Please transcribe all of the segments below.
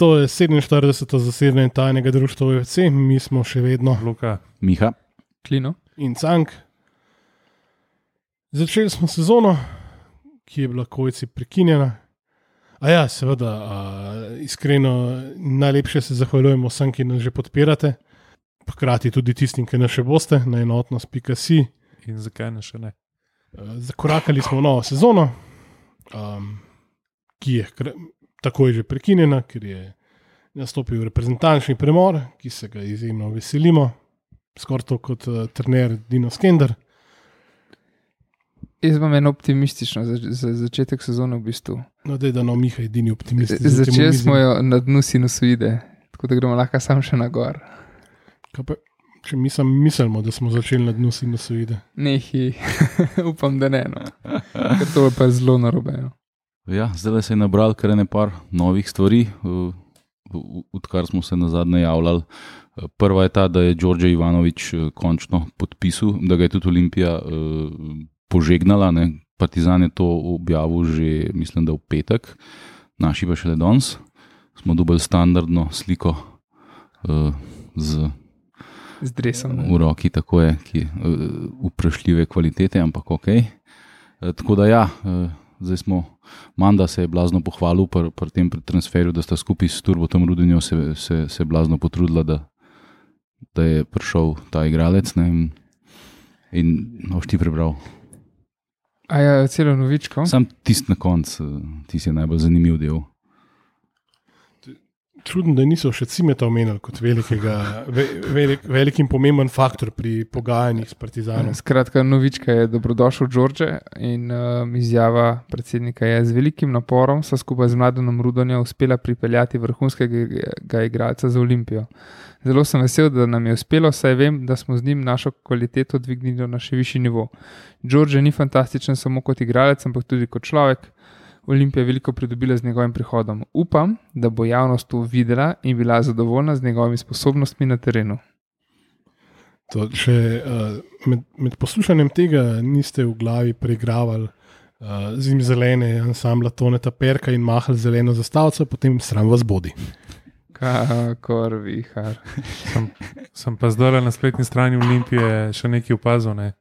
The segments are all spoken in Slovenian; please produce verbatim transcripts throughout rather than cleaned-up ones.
To je sedeminštirideseto zasedanje tajnega društva U F C, mi smo še vedno Luka, Miha, Klino in Cank. Začeli smo sezono, ki je bila kojci prekinjena. A ja, seveda, a, iskreno najlepše se zahvaljujemo vsem, ki nas že podpirate, hkrati tudi tistim, ki nas še boste, na enotnost pika si. in zakaj ne še ne? Zakorakali smo v novo sezono, um, ki je kr- takoj že prekinjena, ker je nastopil reprezentančni premor, ki se ga izjemno veselimo, skoraj to kot uh, trener Dino Skender. Jaz imam eno optimistično za, za začetek sezone v bistvu. No, dej, da no, Miha edini optimist. Začeli smo jo na dnu sinusoide, tako da gremo lahko sam še na gor. Kaj pa, če mi sam mislimo, da smo začeli na dnu sinusoide? Nehi, upam, da ne, no. Ker to je pa zelo narobe. No. ja, zdaj se je nabral kar ene par novih stvari, uh, odkar smo se nazadnje javljali. Prva je ta, da je Đorđe Ivanović uh, končno podpisal, da ga je tudi Olimpija uh, požegnala, ne. Partizan je to objavil že, mislim, da v petek, naši pa šele danes. Smo dobili standardno sliko uh, z, z dresom. v roki, tako je, ki je uh, vprašljive kvalitete, ampak ok. Uh, tako da ja, uh, zdaj smo, Manda se je blazno pohvalil pri pr tem transferju, da sta skupaj s Turbotom Rudinjo se, se, se blazno potrudila, da, da je prišel ta igralec, ne, in, in boš ti prebral. A ja, celo novičko? Sam tist na konc, tist je najbolj zanimiv del. Čudno, da niso še Cimeta omenili kot velikega, ve, velik, velik in pomemben faktor pri pogajanjih s Partizanom. Skratka, novička je dobrodošel Đorđe in um, izjava predsednika je: z velikim naporom so skupaj z Mladenom Rudonjo uspela pripeljati vrhunskega igralca za Olimpijo. Zelo sem vesel, da nam je uspelo, saj vem, da smo z njim našo kvaliteto dvignili na še višji nivo. Đorđe ni fantastičen samo kot igralec, ampak tudi kot človek. Olimpija je veliko pridobila z njegovim prihodom. Upam, da bo javnost to videla in bila zadovoljna z njegovimi sposobnostmi na terenu. To, če uh, med, med poslušanjem tega niste v glavi preigravali uh, zim zelene ansambla Toneta Perka in mahali zeleno zastavico, potem sram vas bodi. Kakor vihar. Sem, sem pa zdaj na spletni strani Olimpije še nekaj opazil. Ne?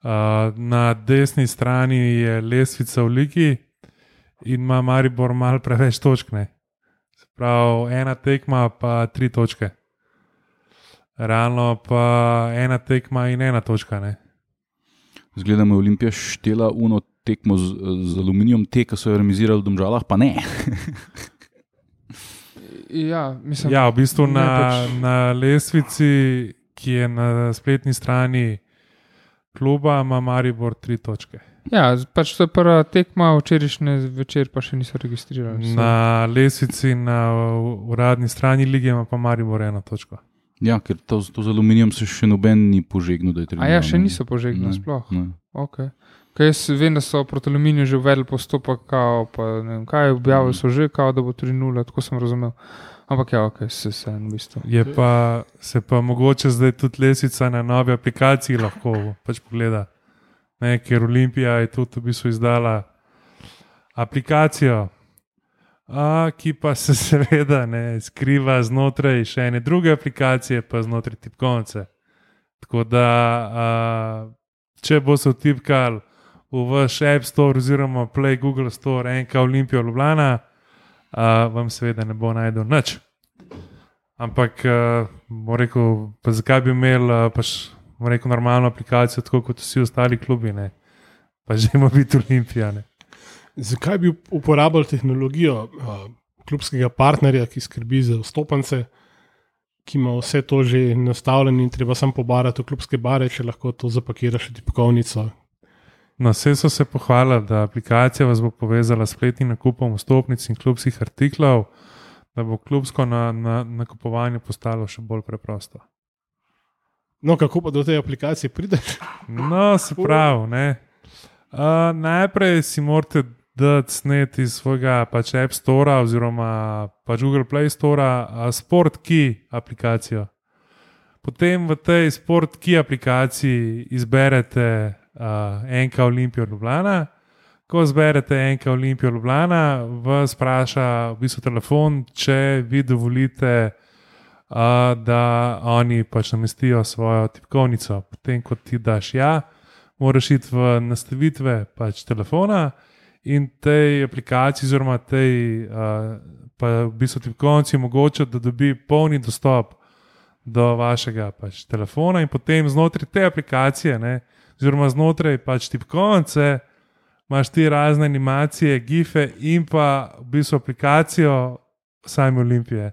Uh, na desni strani je lestvica v ligi in ima Maribor malo preveč točk. Ne? Se pravi, ena tekma pa tri točke. Realno pa ena tekma in ena točka. Ne? Zgledamo, je Olimpija štela uno tekmo z, z Aluminijom, te, ki so jo remizirali v Domžalah, pa ne. Ja, mislim, ja, v bistvu na, pač... na lestvici, ki je na spletni strani kluba, ima Maribor tri točke. Ja, pač to je prva tekma, včerajšnje večer pa še niso registrirali. Na lestvici na uradni strani lige ima pa Maribor eno točko. Ja, ker to, to z Aluminijem se še noben ni požegnil, da je treba. A ja, še niso požegnili sploh? Ne. Ok. Kaj jaz vem, da so proti Aluminiju že uvedli postopek, kao, pa ne vem kaj, objavili so že, kao, da bo tri nula, tako sem razumel. Ampak ja, ok, se se v bistvu. Je pa, se pa mogoče zdaj tudi lestvica na novi aplikaciji lahko pač pogleda. Ne, ker Olimpija je tudi v bistvu izdala aplikacijo, a, ki pa se seveda ne skriva znotraj še ene druge aplikacije, pa znotraj tipkovnice. Tako da, a, če bo se vtipkal v vaš App Store oziroma Play Google Store enka Olimpija Ljubljana, a, vam seveda ne bo najdel nič. Ampak, a, bo rekel, pa zakaj bi imel a, pač, bo rekel, normalno aplikacijo, tako kot vsi ostali klubi, ne? Pa že ima biti Olimpija. Ne? Zakaj bi uporabljali tehnologijo uh, klubskega partnerja, ki skrbi za vstopance, ki ima vse to že nastavljeno in treba samo pobarati v klubske bare, če lahko to zapakira še tipkovnico? No, vse so se pohvalili, da aplikacija vas bo povezala s spletnim nakupom vstopnic in klubskih artiklov, da bo klubsko na, na, nakupovanje postalo še bolj preprosto. No, kako pa do te aplikacije prideš? No, se pravi, ne. Uh, najprej si morate dati snet iz svojega pač App Store oziroma pač Google Play Store uh, Sport Key aplikacijo. Potem v tej Sport Key aplikaciji izberete uh, enka Olimpija Ljubljana, ko zberete enka Olimpijo Ljubljana, vas vpraša v bistvu telefon, če vi dovolite, uh, da oni pač namestijo svojo tipkovnico. Potem, ko ti daš ja, moraš iti v nastavitve pač telefona in tej aplikaciji, oziroma tej uh, pa v bistvu tipkovnici omogoča, da dobi polni dostop do vašega pač telefona in potem znotraj te aplikacije, ne, oziroma znotraj pač tipkovnice, imaš ti razne animacije, gife in pa v bistvu aplikacijo same Olimpije.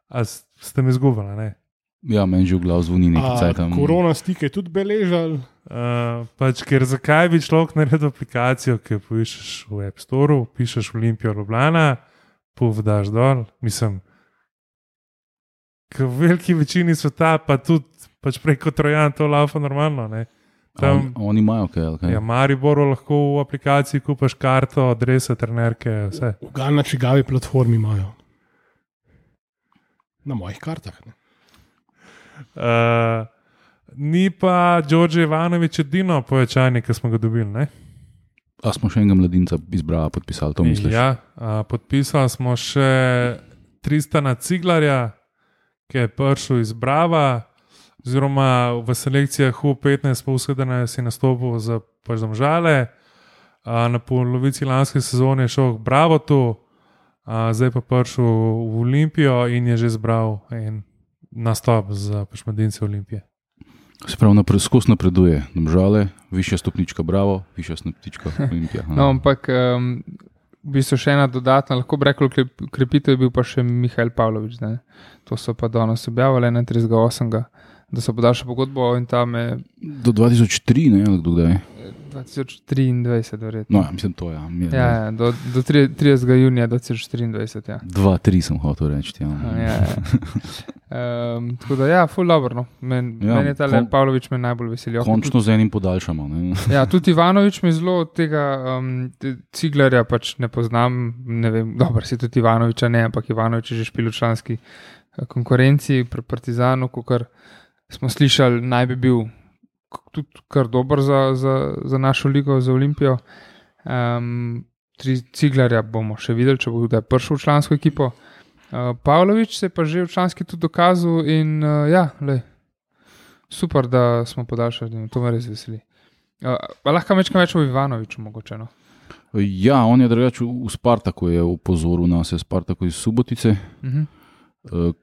A ste me izgubili, ne? Ja, meni že v glavu zvoni nekaj cajt tam. Korona stike tudi beležal. Uh, pač, ker zakaj bi človek naredil aplikacijo, ki jo poiščeš v App Store, pišeš Olimpijo Ljubljana, puf daš dol, mislim, v veliki večini sveta pa tudi pač preko Trojan to laufa normalno, ne? Tam, on, oni imajo kaj, ali kaj? Ja, Mariboru lahko v aplikaciji kupaš karto, adrese, trenerke, vse. V na čigavi platformi imajo. Na mojih kartah, ne? Uh, ni pa Đorđe Ivanović edino povečanje, ki smo ga dobili, ne? A smo še enega mladinca izbrali, podpisali, to misliš? Ja, uh, podpisali smo še Tristana Ciglarja, ki je prišel iz Brava, oziroma v selekcijah U petnajst pa vsedene si nastopil za pač Domžale, uh, na polovici lanske sezone je šel k Bravotu, uh, zdaj pa prišel v Olimpijo in je že zbral en nastop za pač mladince Olimpije. Se pravi, napred, skozi napreduje Domžale, višja stopnička Bravo, višja stopnička Olimpija. No, ampak um, v bistvu še ena dodatna, lahko bi rekel, krepitev je bil pa še Mihael Pavlović. Ne? To so pa danes objavili enaintridesetega osmega da so podaljšali pogodbo in tam je... Do dva tisoč tri, ne, ali kdo kdaj? dva tisoč triindvajset, verjetno. No, ja, mislim, to je. Ja, ja, ja, do, do tridesetega junija dva tisoč triindvajset, ja. dva tri sem hotel reči, ja. ja, ja. Um, tako da, ja, ful dobro, no. Men, ja, meni je ta kon, Pavlović me najbolj veselijo. Končno z enim podaljšamo, ne. Ja, tudi Ivanović me zelo od tega um, Ciglarja pač ne poznam, ne vem, dobro, si tudi Ivanovića ne, ampak Ivanović je že špil v članski konkurenci pri Partizanu, kakor smo slišali, naj bi bil tudi kar dober za, za, za našo ligo, za Olimpijo. Um, tri Ciglarja bomo še videli, če bo kdaj prišel v člansko ekipo. Uh, Pavlović se je pa že v članski tudi dokazal in uh, ja, lej, super, da smo podaljšali, to me res veseli. Uh, lahko mečkam več o Ivanoviću mogoče, no? Ja, on je drugače v Spartaku je upozoril nas, je Spartaku iz Subotice. Uh-huh. Uh,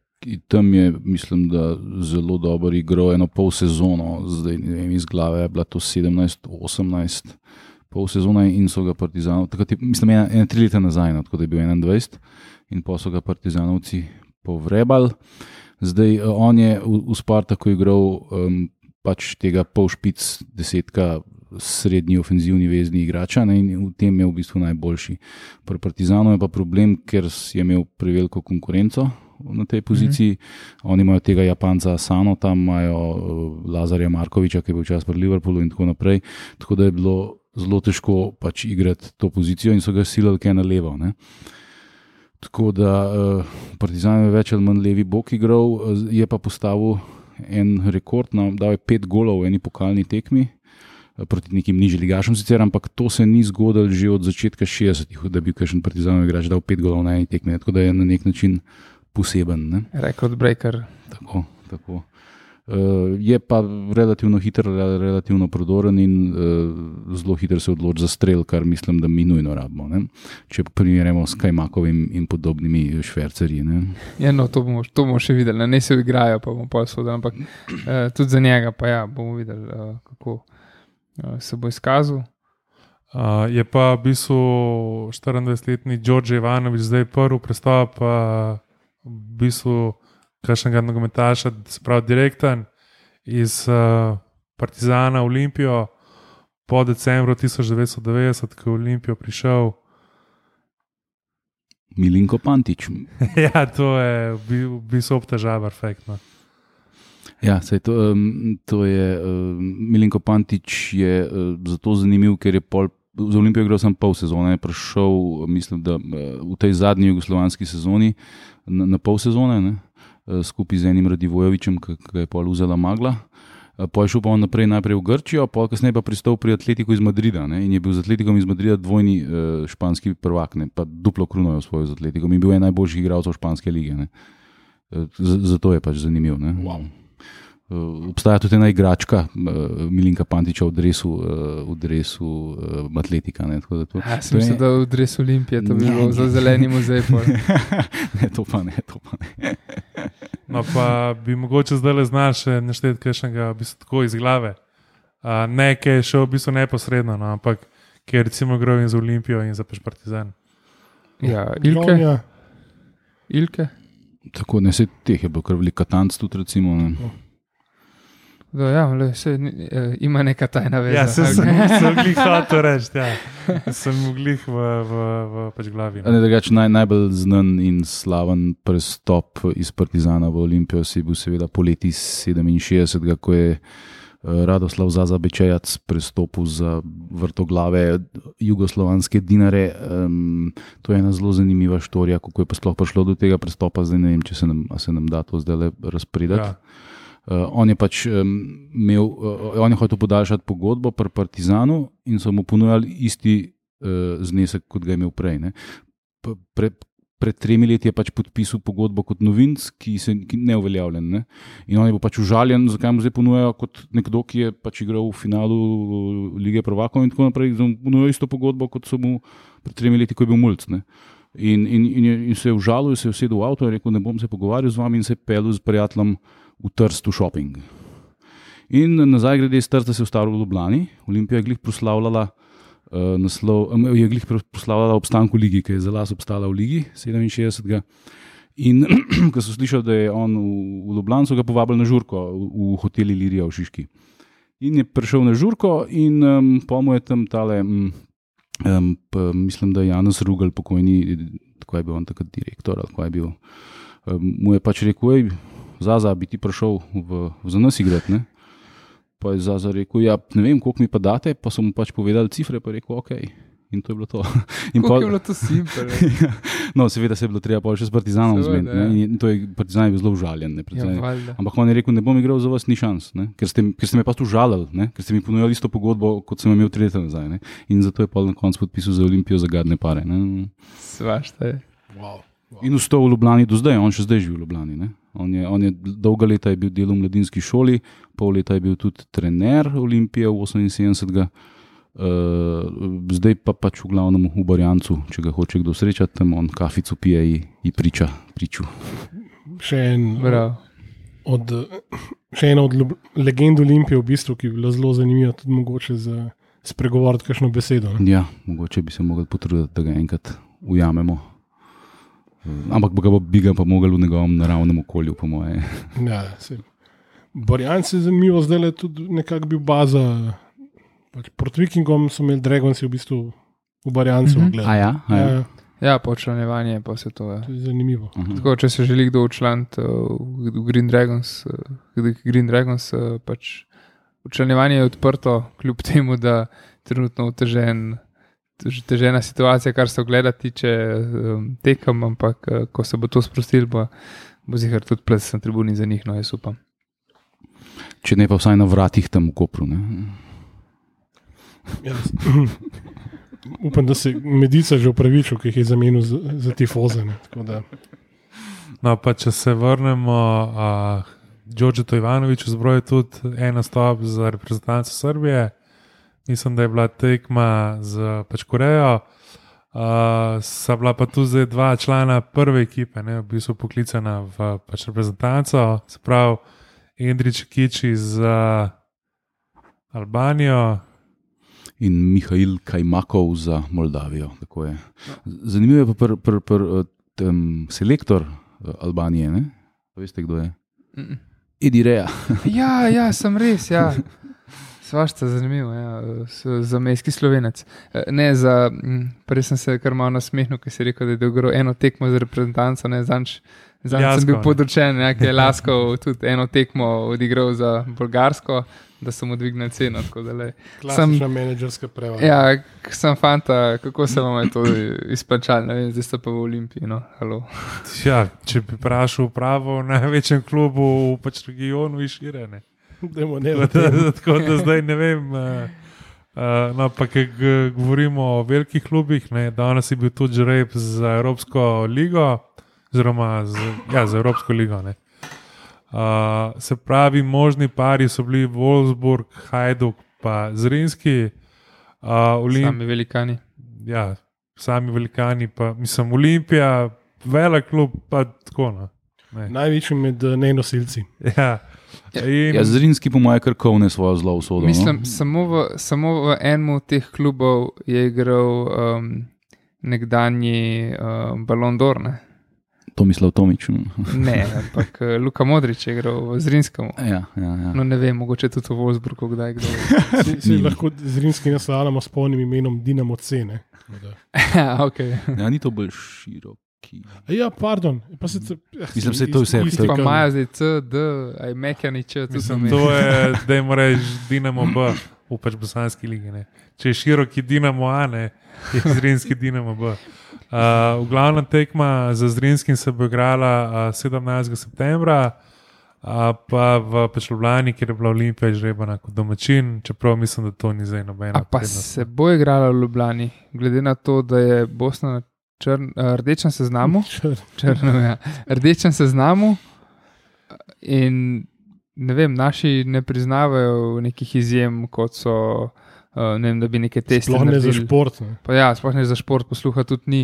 Tam je, mislim, da zelo dobro igral eno pol sezono, zdaj ne vem, iz glave je bila to sedemnajst osemnajst pol sezona in so ga Partizanov, takrat je, mislim, ena, ena tri leta nazaj, no, tako da je bil enaindvajset in pa so ga Partizanovci povrebali. Zdaj, on je v, v Spartaku igral um, pač tega pol špic desetka srednji ofenzivni vezni igrača, ne, in v tem je v bistvu najboljši. Pri Partizanu je pa problem, ker je imel preveliko konkurenco na tej poziciji. Mm-hmm. Oni imajo tega Japanca Asano, tam imajo Lazarja Markoviča, ki je bil čas pri Liverpoolu in tako naprej. Tako da je bilo zelo težko pač igrati to pozicijo in so ga silali kaj na levo. Ne. Tako da uh, Partizan je več ali manj levi bok igral, je pa postavil en rekord, no, dal je pet golov v eni pokalni tekmi proti nekim nižjim ligašom sicer, ampak to se ni zgodilo že od začetka šestdesetih, da bi kakšen Partizanov igrač dal pet golov na eni tekmi, tako da je na nek način poseben. Ne? Record breaker. Tako, tako. Uh, je pa relativno hiter, relativno prodoren in uh, zelo hiter se odloči za strel, kar mislim, da mi nujno rabimo. Ne? Če primerjamo s Kajmakovim in podobnimi švercerji. Ne? Ja, no, to bomo, to bomo še videli. Ne se igrajo, pa bomo pol sodili, ampak uh, tudi za njega pa ja, bomo videli, uh, kako uh, se bo izkazal. Uh, je pa v bistvu štiriindvajsetletni Đorđe Ivanović zdaj prvi prestop uh, v bistvu kakšnega nogometaša, se pravi direkten iz uh, Partizana v Olimpijo po decembru tisoč devetsto devetdeset, ko je v Olimpijo prišel Milinko Pantić. Ja, to je v bistvu obtežava, perfektno. Ja, sej to, um, to je uh, Milinko Pantić je uh, zato zanimiv, ker je pol za Olimpijo igral sem pol sezone, je prišel, mislim, da v tej zadnji jugoslovanski sezoni na, na pol sezone, ne, skupaj z enim Radivojevičem, ki ga je pol vzela Magla. Poj šel pa on naprej najprej v Grčijo, pol kasneje pa pristal pri Atletiku iz Madrida, ne, in je bil z Atletikom iz Madrida dvojni uh, španski prvak, ne, pa duplo kruno je osvojil z Atletikom in bil je najboljših igralcev španske lige, ne. Zato je pač zanimiv, ne. Wow. Uh, obstaja tudi ena igračka uh, Milinka Pantiča v dresu, uh, v dresu uh, Atletika. Ne, tako da to, ja, sem mislil, je... da v dresu Olimpije, to bi bilo za zeleni muzej. ne, to pa ne, to pa ne. No, pa bi mogoče zdaj le znaš našteti kakšnega v bistvu tako iz glave. Uh, ne, ki je šel v bistvu neposredno, no, ampak ki je recimo igral in za Olimpijo in za Partizan. Ja, Ilke. Ja. Ilke. Tako, ne, se teh je bil kar velik Katanc tudi recimo, ne. No. Da, ja, le, se, uh, ima neka tajna veza. Ja, se, sem, sem glih hotel reči, ja. Sem glih v, v, v pač glavi. Ne, drugač, naj, najbolj znan in slaven prestop iz Partizana v Olimpijo si bil seveda poleti sedeminšestdesetega, ko je uh, Radoslav Zaza Bečejac prestopil za vrtoglave jugoslovanske Dinare. Um, to je ena zelo zanimiva štorija, kako je pa sploh prišlo do tega prestopa, zdaj ne vem, če se nam, a se nam da to zdaj le razpredati. Ja. Uh, on je pač um, imel, uh, on je hotel podaljšati pogodbo pri Partizanu in so mu ponujali isti uh, znesek, kot ga je imel prej. Ne. Pre, pred tremi leti je pač podpisal pogodbo kot novinc, ki se ki ne uveljavljen. Ne. In on je bil pač užaljen, zakaj mu zdaj ponujajo kot nekdo, ki je pač igral v finalu Lige prvakov in tako naprej, da mu ponujajo isto pogodbo, kot so mu pred tremi leti, ko je bil mulc. Ne. In, in, in, in se je užalil, se je usedel v avto in rekel, ne bom se pogovarjal z vami in se je peljal s prijateljem v Trstu shopping. In nazaj grede iz Trsta se je ustavil v Ljubljani. Olimpija je glih proslavljala uh, naslov, um, je glih proslavljala obstanku ligi, ki je za las obstala v ligi sedeminšestdesetega. In ko so slišali, da je on v, v Ljubljani, so ga povabili na žurko v, v hoteli Ilirija v Šiški. In je prišel na žurko in um, pa mu je tam tale, um, um, pa, mislim, da je Janez Rugel pokojni, tako je bil on takrat direktor, ali tako je bil, um, mu je pač rekel, ej, Zaza, bi ti prišel v, v za nas igrati, ne? Pa je Zaza rekel, ja, ne vem, koliko mi pa date, pa so mu pač povedali cifre, pa je rekel, ok. In to je bilo to. Koliko pa, je bilo to simpel? No, seveda se je bilo treba pa še s Partizanom zmeniti, ne? In to je, Partizan je bil zelo užaljen, ne? Ja, ampak on je rekel, ne bom igral za vas, ni šans, ne? Ker ste, ker ste me pa tu žalili, ne? Ker ste mi ponujali isto pogodbo, kot sem imel tri leta nazaj, ne? In zato je pa na koncu podpisal za Olimpijo za gadne pare, ne? Svašta je. Wow. Wow. In vstal v Ljubljani do zdaj, on še zdaj živi v Ljubljani, ne? On je, on je dolga leta je bil del v mladinski šoli, pol leta je bil tudi trener Olimpije v oseminsedemdesetega, uh, zdaj pa pač v glavnem v Barjancu, če ga hoče kdo srečati, tam on kafico pije in priča priču. Še en od, še ena od legend Olimpije v bistvu, ki je bila zelo zanimiva, tudi mogoče za spregovoriti kakšno besedo. Ne? Ja, mogoče bi se mogli potruditi, da ga enkrat ujamemo. Ampak bi ga, bi ga pa mogli v njegovem naravnem okolju, po moje. Ja, Barjanci je zanimivo, zdaj je tudi nekako bil baza. Pač pred vikingom so imeli Dragonsi v bistvu v Barjancu. Mm-hmm. A ja? A ja. ja. Ja, počlanjevanje pa se to je. To je zanimivo. Uh-huh. Tako, če se želi kdo učlaniti uh, v Green Dragons, uh, Green Dragons uh, pač učlanjevanje je odprto, kljub temu, da trenutno otežen težena situacija, kar se ogleda tiče um, tekem, ampak uh, ko se bo to sprostilo, bo, bo zihar tudi ples na tribuni za njih, no jaz upam. Če ne pa vsaj na vratih tam v Kopru, ne? Ja, upam, da se Medica že upravičil, ki jih je zamenil za, za tifoze. Da... No, pa če se vrnemo, uh, Đorđeto Ivanović zbroji tudi en nastop za reprezentanco Srbije. Mislim, da je bila tekma z pač Korejo, uh, sta bila pa tu zdaj dva člana prve ekipe, ne, v bistvu poklicana v pač reprezentanco, se pravi Endrić Kiči za Albanijo in Mihail Kajmakov za Moldavijo. Tako je. Zanimivo je pa pr, pr, pr, tem, selektor Albanije, ne? Veste, kdo je? Mm. Edi Rea. Ja, ja, sem res, ja. Svašta zanimivo, ja. Za mejski Slovenec. Ne, za, prej sem se kar malo nasmehnil, ker si rekel, da je dogro eno tekmo za reprezentanco, ne, zanč, zanč sem bil podočen, ja, ker je Laskov tudi eno tekmo odigral za Bolgarsko, da so mu dvignili ceno. Klasična menedžerska prevara. Ja, sem fanta, kako se vam je to izplačali, ne vem, zdaj ste pa v Olimpiji, no, halo. Ja, če bi vprašal pravo v največjem klubu v pač regionu in šire, ne. Dajmo ne o tem. Tako da zdaj ne vem. Uh, uh, no, pa ker govorimo o velikih klubih, ne, danes je bil tudi žreb za Evropsko ligo, oziroma z, ja, za Evropsko ligo. Ne. Uh, se pravi, možni pari so bili Wolfsburg, Hajduk pa Zrinski. Uh, Olimp... Sami velikani. Ja, sami velikani, pa mislim, Olimpija, velik klub, pa tako. No. Največji med nenosilci. Ja. In... Ja, Zrinski po mojem krkovne svojo zlo usodo. Mislim, no? samo, v, samo v enem od teh klubov je igral um, nekdanji um, Ballon d'Or. Ne? Tomislav Tomić. Ne, ampak Luka Modrić je igral v Zrinskem. Ja, ja, ja. No, ne vem, mogoče tudi v Wolfsburgu, kdaj kdo. Si, si lahko Zrinski naslavljamo s polnim imenom Dinamo C. Ja, okay. Ja, ni to bolj široki. Ja, pardon. Pa se, ja, Mislim, se to vse. Ti pa imajo zdaj C, D, aj Mekjani Č. Mislim, to je, da jim reči Dinamo B, v pač bosanski ligi. Ne. Če je široki Dinamo A, ne, je Zrinski Dinamo B. Uh, v glavnem tekma za Zrinskim se bo igrala uh, sedemnajstega septembra, uh, pa v Ljubljani, kjer je bila Olimpija žrebana kot domačin, čeprav mislim, da to ni zdaj nobena. A pa prednost. Se bo igrala v Ljubljani, glede na to, da je Bosna na črn, uh, rdečem seznamu, črno, ja, rdečem seznamu in ne vem, naši ne priznavajo nekih izjem, kot so Uh, ne vem, da bi neke teste sploh ne za šport. Ne. Pa ja, sploh ne za šport, posluha tudi ni.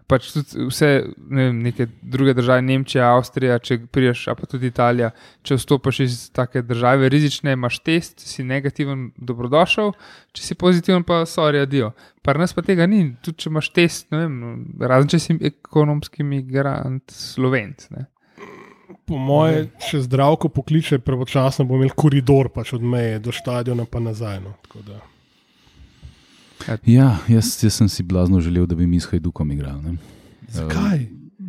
Pač tudi vse, ne vem, neke druge države, Nemčija, Avstrija, če priješ, a pa tudi Italija, če vstopaš iz take države rizične, imaš test, si negativen, dobrodošel, če si pozitiven, pa sorry, adijo. Par nas pa tega ni, tudi če imaš test, ne vem, razen če si ekonomski migrant Slovenc, ne. Po moje, če Zdravko pokliče pravočasno, bo imel koridor pač od meje do štadiona pa nazaj, no, tako da. Ja, jaz, jaz sem si blazno želel, da bi mi s Hajdukom igrali. Zakaj?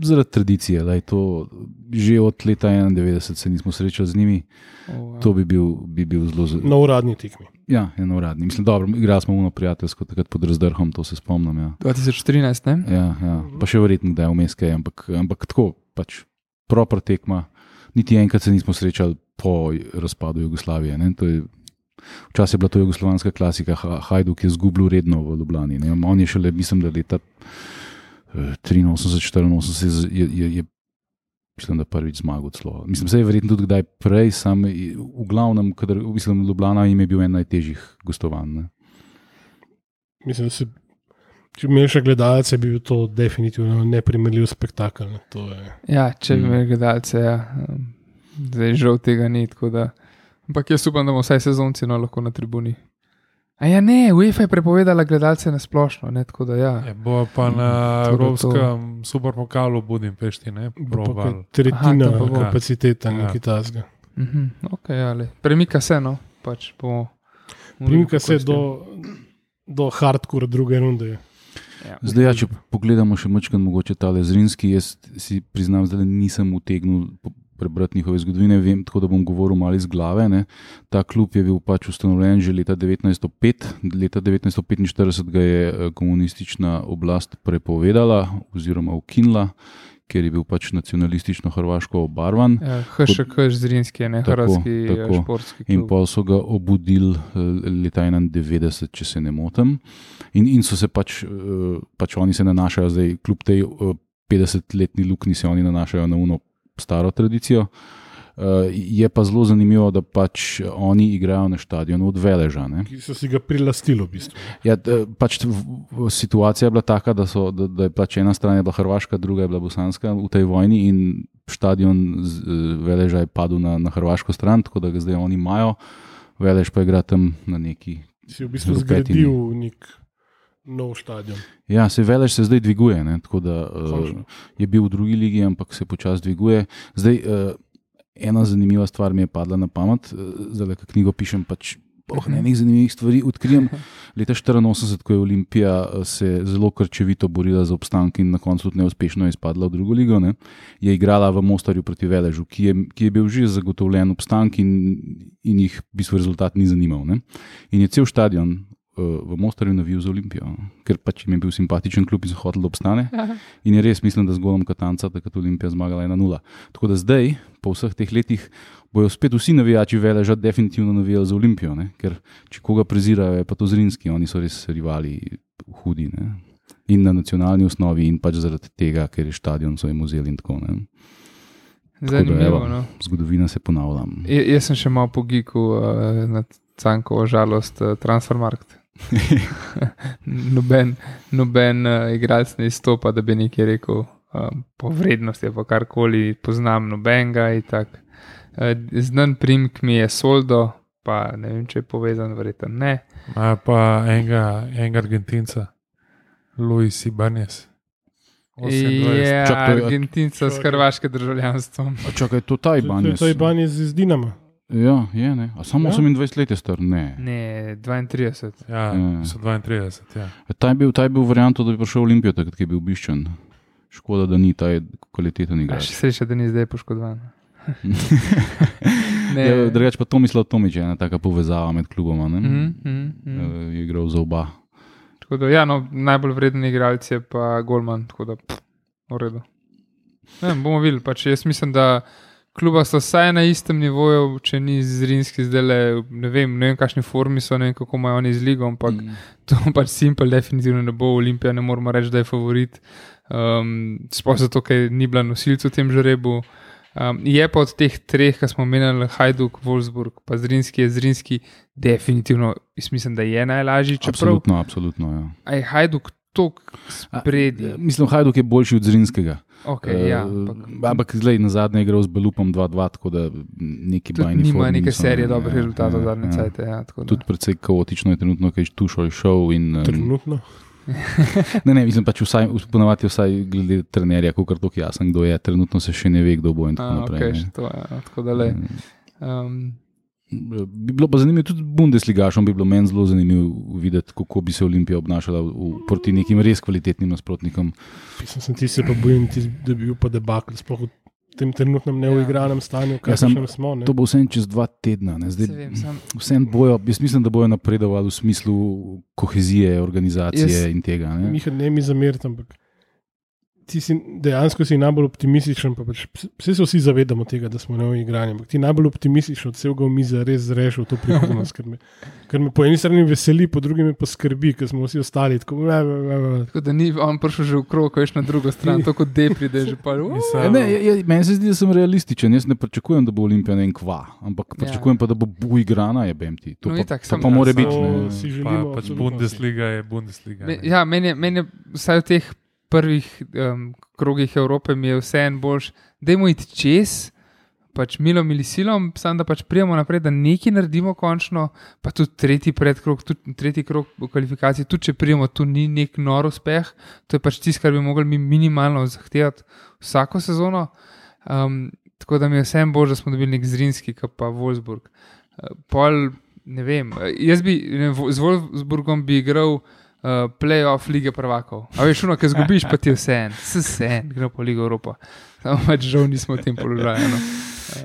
Zaradi tradicije. Lej, to, že od leta enaindevetdeset se nismo srečali z njimi. Oh, wow. To bi bil, bi bil zelo zelo. Na uradni tekmi. Ja, ja, na uradni. Mislim, dobro, igrali smo uno prijateljsko, takrat pod Razdrhom, to se spomnim. Ja. dva tisoč trinajst, ne? Ja, ja. Pa še verjetno, da je vmes kaj, ampak, ampak tako, pač proper tekma. Niti enkrat se nismo srečali po razpadu Jugoslavije. Ne? To je Včasih je bila to jugoslovanska klasika, Hajduk je zgubil redno v Ljubljani. Ne? On je šele, mislim, da leta triinosemdeset štiriinosemdeset je, je, je mislim, da prvič zmagal celo. Mislim, se je verjetno tudi kdaj prej, sam v glavnem, kadar, mislim, Ljubljana jim je bil en najtežjih gostovanj. Ne? Mislim, da se, če bi imel še gledalce, bi bil to definitivno neprimerljiv spektakel. Ne? To je... Ja, če bi imel gledalce, ja. Zdaj žal tega ni, tako da. Ampak jaz upam, da bomo vsaj sezonci no, lahko na tribuni. A ja ne, UEFA je prepovedala gledalce na splošno, ne, tako da ja. Je, bo pa na Evropskem superpokalu v Budimpešti, ne, probal. Tretjina kapaciteta, nekaj tasga. Mhm, ok, ali. Premika se, no, pač po... Premika se do, do hardcore druge runde. Ja. Zdaj, ja, če pogledamo še mačkan mogoče tale Zrinski, jaz si priznam, da nisem utegnil prebrati njihove zgodovine, vem, tako da bom govoril malo iz glave. Ne. Ta klub je bil pač ustanovljen že leta devetnajststo pet, leta devetnajststo petinštirideset ga je komunistična oblast prepovedala oziroma ukinila, ker je bil pač nacionalistično hrvaško obarvan. Ja, H Š K Zrinski, ne hrvatski športski klub. In pa so ga obudili leta enaindevetdeset, če se ne motim. In, in so se pač, pač oni se nanašajo zdaj, kljub tej petdesetletni luknji se oni nanašajo na uno staro tradicijo. Uh, je pa zelo zanimivo, da pač oni igrajo na štadionu od Veleža. Ne? Ki so si ga prilastili v bistvu. Ja, pač v, v, situacija je bila taka, da, so, da, da je pač ena stran je bila Hrvaška, druga je bila Bosanska v tej vojni in štadion z, Veleža je padel na, na hrvaško stran, tako da ga zdaj oni imajo. Velež pa igra tam na neki... Si v bistvu zgradil nek nov štadion. Ja, se Velež se zdaj dviguje, ne? Tako da uh, je bil v drugi ligi, ampak se počasi dviguje. Zdaj, uh, ena zanimiva stvar mi je padla na pamet, zdaj, ko knjigo pišem, pač oh, ne, nekaj zanimivih stvari odkrijem. Leta štiriinosemdeset, ko je Olimpija se zelo krčevito borila za obstanek in na koncu tudi neuspešno je izpadla v drugo ligo, ne? Je igrala v Mostarju proti Veležu, ki je, ki je bil že zagotovljen obstanek in, in jih v bistvu rezultat ni zanimal. Ne? In je cel štadion v Mostarju navijal za Olimpijo, ker pač jim je bil simpatičen klub in so hoteli, da obstane. In je res, mislim, da z golom Katanca takrat Olimpija zmagala ena nula. Tako da zdaj, po vseh teh letih, bojo spet vsi navijači Veleža definitivno navijali za Olimpijo, ne? Ker če koga prezirajo, je pa to Zrinski, oni so res rivali hudi, ne? In na nacionalni osnovi in pač zaradi tega, ker je štadion so jim vzeli in tako, ne? Zanimivo, da, evo, no. Zgodovina se ponavlja. Ja, jaz sem še malo po giku uh, na Cankovo žalost uh, Transfermarkt. noben noben uh, igralec ne izstopa, da bi nekaj rekel uh, po vrednosti, pa karkoli poznam nobenega in tak. Uh, znan primek mi je Soldo, pa ne vem, če je povezan, verjetno ne. A pa enega, enega Argentinca, Luis Ibanez. Je Argentinca s hrvaškim državljanstvom. Čakaj, to ta Ibanez. To je Ibanez iz Dinama. Ja, je, ne. A samo Ja? osemindvajset let je star? Ne. Ne, dvaintrideset. Ja, Ja. so dvaintrideset, ja. Ta je bil, ta je bil varianto, da bi prišel v Olimpijo, takrat, ki je bil obiščen. Škoda, da ni, ta je kvaliteten A igrač. še sreča, da ni zdaj poškodovan. Ne. Ja, drugače pa Tomislav Tomić je ena taka povezava med kluboma, ne? Mhm, mhm, mhm. Eh, Je igral za oba. Tako da, ja, no, najbolj vreden igralec je pa Golman, tako da pff, v redu. Ne, bomo videli, pač jaz mislim, da kluba so vsaj na istem nivoju, če ni Zrinski zdaj le, ne vem, ne vem, kakšni formi so, ne vem, kako imajo oni z ligo, ampak Mm. to pač Simple definitivno ne bo, Olimpija ne moramo reči, da je favorit, um, sploh zato, ker ni bila nosilca v tem žrebu. Um, je pa od teh treh, ki smo omenjali, Hajduk, Wolfsburg, pa Zrinski, je Zrinski definitivno, jaz mislim, da je najlažji, čeprav Absolutno, absolutno, ja. a je Hajduk tok A, spredi. Mislim, Hajduk je boljši od Zrinskega. Okay, ja, Eh, ampak, Ampak zdaj na zadnje je igral z Belupom dva dva, tako da neki tudi bajni nima formi neke niso, serije ne, dobrih ja, rezultatov ja, zadnje ja. cajte. Ja, tako da. Tudi precej kaotično je trenutno, kaj Tušol šel in... em, Trenutno. Ne, ne, mislim pač vsaj, ponavadi vsaj glede trenerja, kakor to jasen, kdo je, trenutno se še ne ve, kdo bo in tako A, naprej. okay, ne. še to, ja, tako da le. Um, Bi bilo pa zanimivo, tudi Bundesligašom bi bilo meni zelo zanimivo videti, kako bi se Olimpija obnašala v, proti nekim res kvalitetnim nasprotnikom. Mislim, sem ti se pa bojim, ti, da bi bil pa debakl, sploh v tem trenutnem neuigranem stanju, Ja, sem- kakšnem smo. Ne? To bo vse čez dva tedna. Ne. se Zdaj, vem, sam, vse bojo, jaz mislim, da bojo napredovali v smislu kohezije, organizacije Jaz- in tega. Ne. Miha, ne mi zameriti, ampak ti si dejansko si najbolj optimističen. Pa pač, vse se vsi zavedamo tega, da smo neuigrani, ampak ti najbolj optimističen od celega miza res zreš v to prihodnost, ker me, ker me po eni strani veseli, po drugi me pa skrbi, ker smo vsi ostali tako. Bla, bla, bla, bla. tako da ni on prišel že v krog, veš na drugo stran, tako kot Depri, da je že pa. Mislim, Ja, ne, je, je, meni se zdi, da sem realističen. Jaz ne pričakujem, da bo Olimpija ne vem kva, ampak Ja. pričakujem pa, da bo uigrana, je B M T. To No, pa, itak, to sem- pa more To biti. Ne. si pa, želimo, pač absolutno Bundesliga je Bundesliga. Me, ne. ja, meni je, meni je vsaj v teh prvih um, krogih Evrope mi je vseeno boljš, dajmo iti čez, pač milom ali silom, samo da pač prijemo naprej, da nekaj naredimo končno, pa tudi tretji predkrog, tudi tretji krog v kvalifikaciji, tudi če prijemo, tu ni nek nor uspeh, to je pač tisto, kar bi mogli mi minimalno zahtevati vsako sezono. Um, tako da mi je vseeno bolj, da smo dobili nek Zrinski, kot pa Wolfsburg. Uh, pol, ne vem, uh, jaz bi ne, vem, z Wolfsburgom bi igral uh, playoff lige prvakov. A veš, ono, ki zgubiš, pa ti je vse en, vse en, gre po Ligo Evropa. Samo pač žal nismo v tem položaju. No.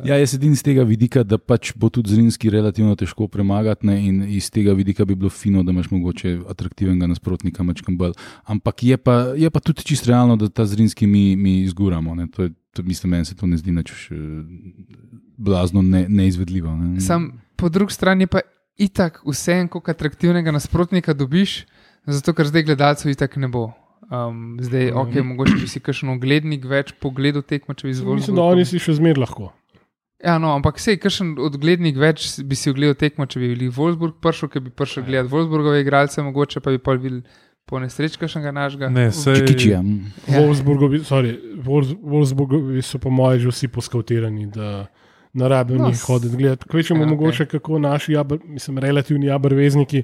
Ja, jaz sedim z tega vidika, da pač bo tudi Zrinski relativno težko premagati, ne, in iz tega vidika bi bilo fino, da imaš mogoče atraktivnega nasprotnika, mačkam bolj. Ampak je pa, je pa tudi čisto realno, da ta Zrinski mi, mi izguramo. Ne. To je, to, mislim, meni se to ne zdi nič eh, blazno ne, neizvedljivo. Ne. Sam po drugi strani pa itak vse en, koliko atraktivnega nasprotnika dobiš, zato ker zdaj gledalcev itak ne bo. Um, zdaj, ok, mogoče bi si kakšen oglednik več pogledal tekmo, če bi izvolil. Mislim, da oni si še zmer lahko. Ja, no, ampak sej, kakšen odglednik več bi si ogledal tekmo, če bi bili Wolfsburg prišel, ker bi prišel gledati Wolfsburgove igralce, mogoče pa bi pa videl po nesreč kakšnega našega. Ne, sej, Čikičija. Ja. Wolfsburgovi, sorry, Wolfs- Wolfsburgovi so po mojem že vsi poskautirani, da ne rabijo No, njih hoditi gledati. Kvečemo ja, ja, okej. mogoče, kako naši, jabr, mislim, relativni abrvezniki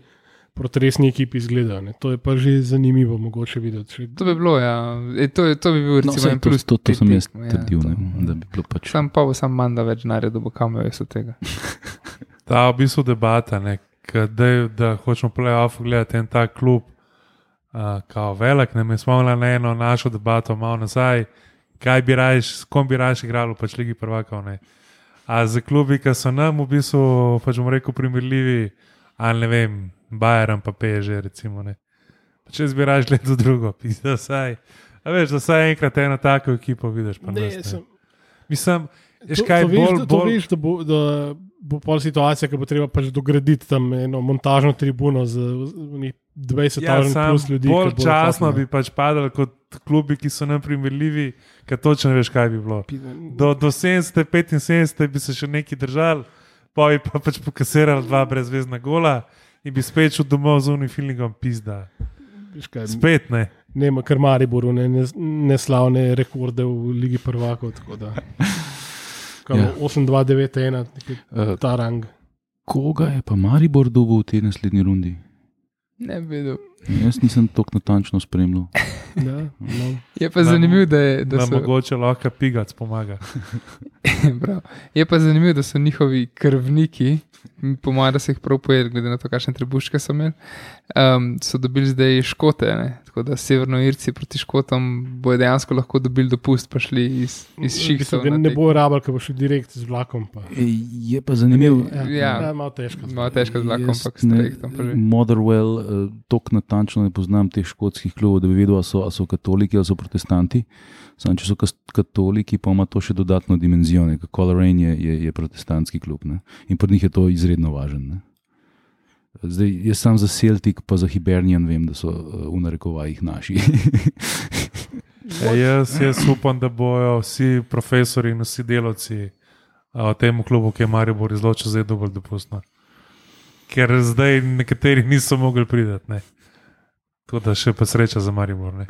proti resni ekipi izgledajo. Ne. To je pa že zanimivo mogoče videti. Če, To bi bilo, ja. E, to, je- to bi bil No, recimo saj, en to, plus. to, to pri sem jaz tekmi, ja, trdil, to. ne, da bi bilo pač. Sam pa bo sam manj, da več naredil, bo kamer jaz od tega. ta v bistvu debata, ne, ka dej, da hočemo playoff gledati en tak klub, uh, kao velik, ne, mi smo imeli na eno našo debato malo nazaj, kaj bi rajš, s kom bi rajš igrali, pač Ligi prvakov, ne. A za klubi, ki so nam v bistvu, pač bomo rekel, primerljivi, ali ne vem, Bayern pa P S G, recimo. Ne. Pa če zbiraš leto drugo, pizda vsaj. A veš, da vsaj enkrat eno tako ekipo vidiš. Pa Ne, nas, ne. sem, Mislim, veš to, kaj, to, veš, bolj, da, to bolj, veš, da bo, da bo pol situacija, ki bo treba pač dograditi tam eno montažno tribuno z dvajset ja, tisoč sam plus ljudi. bolj ki bodo časno hoteli, bi pač padali kot klubi, ki so nam primerljivi, ker točno ne veš, kaj bi bilo. ne. Do, do sedemdeset, petinsedemdeset bi se še neki držali, pa bi pa pač pokasirali dva brezvezna gola in bi spet šel domov z unim filmom, pizda. Veš kaj, Spet ne. nema kar Mariboru, ne, ne, neslavne rekorde v Ligi prvakov. tako da. Kaj, Ja. osem dva devet ena, Uh, ta rang. koga je pa Maribor dobil v tej naslednji rundi? Ne bi vedel. Jaz nisem tako natančno spremljal. Ja, no. Je pa Nam- zanimivo, da, je, da Da so. mogoče lahko pigac pomaga. Prav. Je pa zanimivo, da so njihovi krvniki, po mojem, da so jih prav pojedli, glede na to, kakšne trebuške so imeli, um, so dobili zdaj Škote. Ne? Tako da Severnoirci proti Škotom bojo dejansko lahko dobili dopust, pa šli iz, iz šihtov. Ne, na ne tek- bo rabljal, ker bo šel direkt z vlakom. Pa. Ej, je pa zanimivo. Ja, Ja. ja, malo težko. Malo težko z vlakom, Jaz ampak s ne- trajektom. pa že. Motherwell, uh, tako natančno ne poznam teh škotskih klubov, da bi vedel, ali so, ali so katoliki ali so protestanti. Sam, če so kas- katoliki, pa ima to še dodatno dimenzijo. Coleraine je, je, je protestantski klub, ne? In pri njih je to izredno važno. Ne? Zdaj, jaz sam za Celtic, pa za Hibernian vem, da so uh, v narekovajih naši. E, jaz, jaz upam, da bojo vsi profesori in vsi delavci a, v tem klubu, ki je Maribor izločil, zdaj dovolj dopustno. Ker zdaj nekateri niso mogli priti. Ne. Tako da še pa sreča za Maribor. Ne.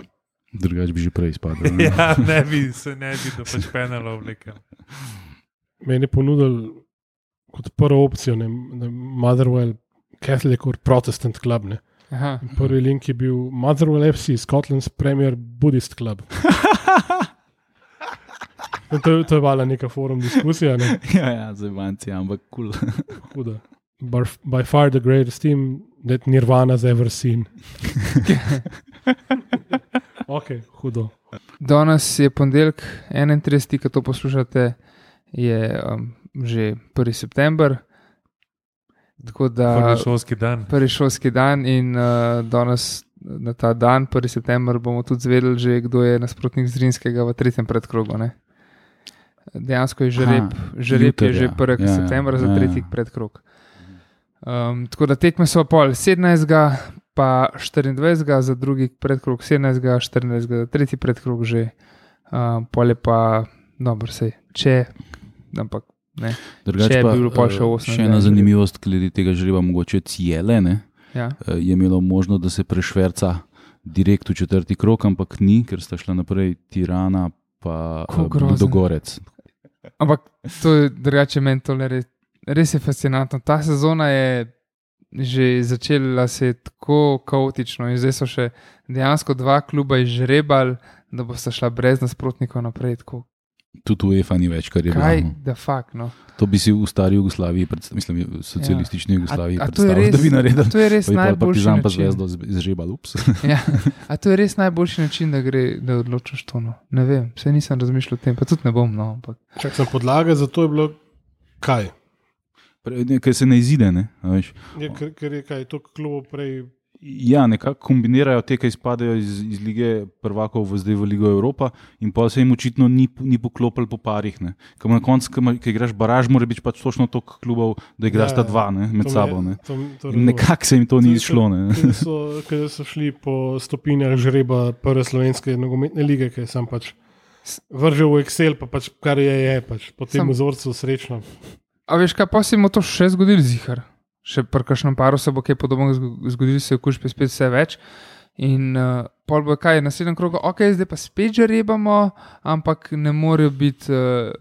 Drugač bi že prej spadal. ne. Ja, ne bi se ne bi, da pač penalo vlekel. Meni je ponudil kot prvo opcijo, ne, ne, Motherwell, Catholic or Protestant Club. Ne. Aha. In prvi link je bil Motherwell F C, Scotland's Premier Buddhist Club. In to, to je bila neka forum diskusija, ne. ja, ja, za vanci, ampak kul. Cool. Huda. By, by far the greatest team that Nirvana's ever seen. Ok, hudo. Danes je ponedeljek, enaintrideseti, ko to poslušate, je um, že prvi september. Tako da Prvi šolski dan. prvi šolski dan in uh, danes na ta dan, prvi september, bomo tudi zvedeli, že, kdo je nasprotnik Zrinskega v tretjem predkrogu. Ne? Dejansko je žreb, žreb je že prvega Ja, ja, septembra za ja, ja. tretji predkrog. Um, tako da tekme so pol sedemnajstega pa štiriindvajsetega za drugi predkrog, sedemnajstega, štirinajstega za tretji predkrog že, um, pol je pa, dobro, sej, če, ampak ne. Drugač Če pa, bi bilo pol še eh, osem še ena žreb. zanimivost, glede tega žreba, mogoče Cijele, ne, Ja. eh, je imelo možnost, da se prešverca direkt v četrti krog, ampak ni, ker sta šla naprej Tirana pa Ko eh, grozno. Ludogorec. Ampak to je drugače meni to res, res je fascinantno. Ta sezona je že začela se tako kaotično in zdaj so še dejansko dva kluba izžrebali, da bosta šla brez nasprotnikov naprej. Tako, Tudi UEFA ni več, kar je kaj, bilo. da fakt, no. To bi si v stari Jugoslaviji, predst- mislim, v socialistični Jugoslaviji A, a to je predstavljal, res, da bi naredil. to je res Pa bi pol najboljši Partizan pa način. Zvezdo izžrebal, ups. Ja, a to je res najboljši način, da, gre, da odločiš to. No. Ne vem, vse nisem razmišljal o tem, pa tudi ne bom. No, ampak. Čak sem podlaga, zato je bilo kaj? Pre- ne, Ker se ne izide, ne, a veš. Je, ker, ker je kaj, to klubov prej. Ja, nekako kombinirajo te, ki izpadejo iz, iz lige prvakov v zdaj v Ligo Evropa in pa se jim očitno ni, ni poklopil po parih. Ker na koncu, ki igraš baraž, mora biti pač točno toliko klubov, da igraš Ja, ta dva ne, med to sabo. me- Ne. to- to In razumem. nekako se jim to ni To- izšlo. Ne. Ker so, ker so šli po stopinjah žreba prve slovenske nogometne lige, ki je sam pač vržel v Excel, pa pač kar je, je pač po tem Sam- vzorcu srečno. A veš kaj, pa si mu to še zgodil, zihar. Še pri kakšnem paru se bo kaj podobnega zgo- zgodilo, se okužbe spet vse več. In uh, pol bo kaj, naslednjem krogu, ok, zdaj pa spet žrebamo, ampak ne morejo biti. Uh,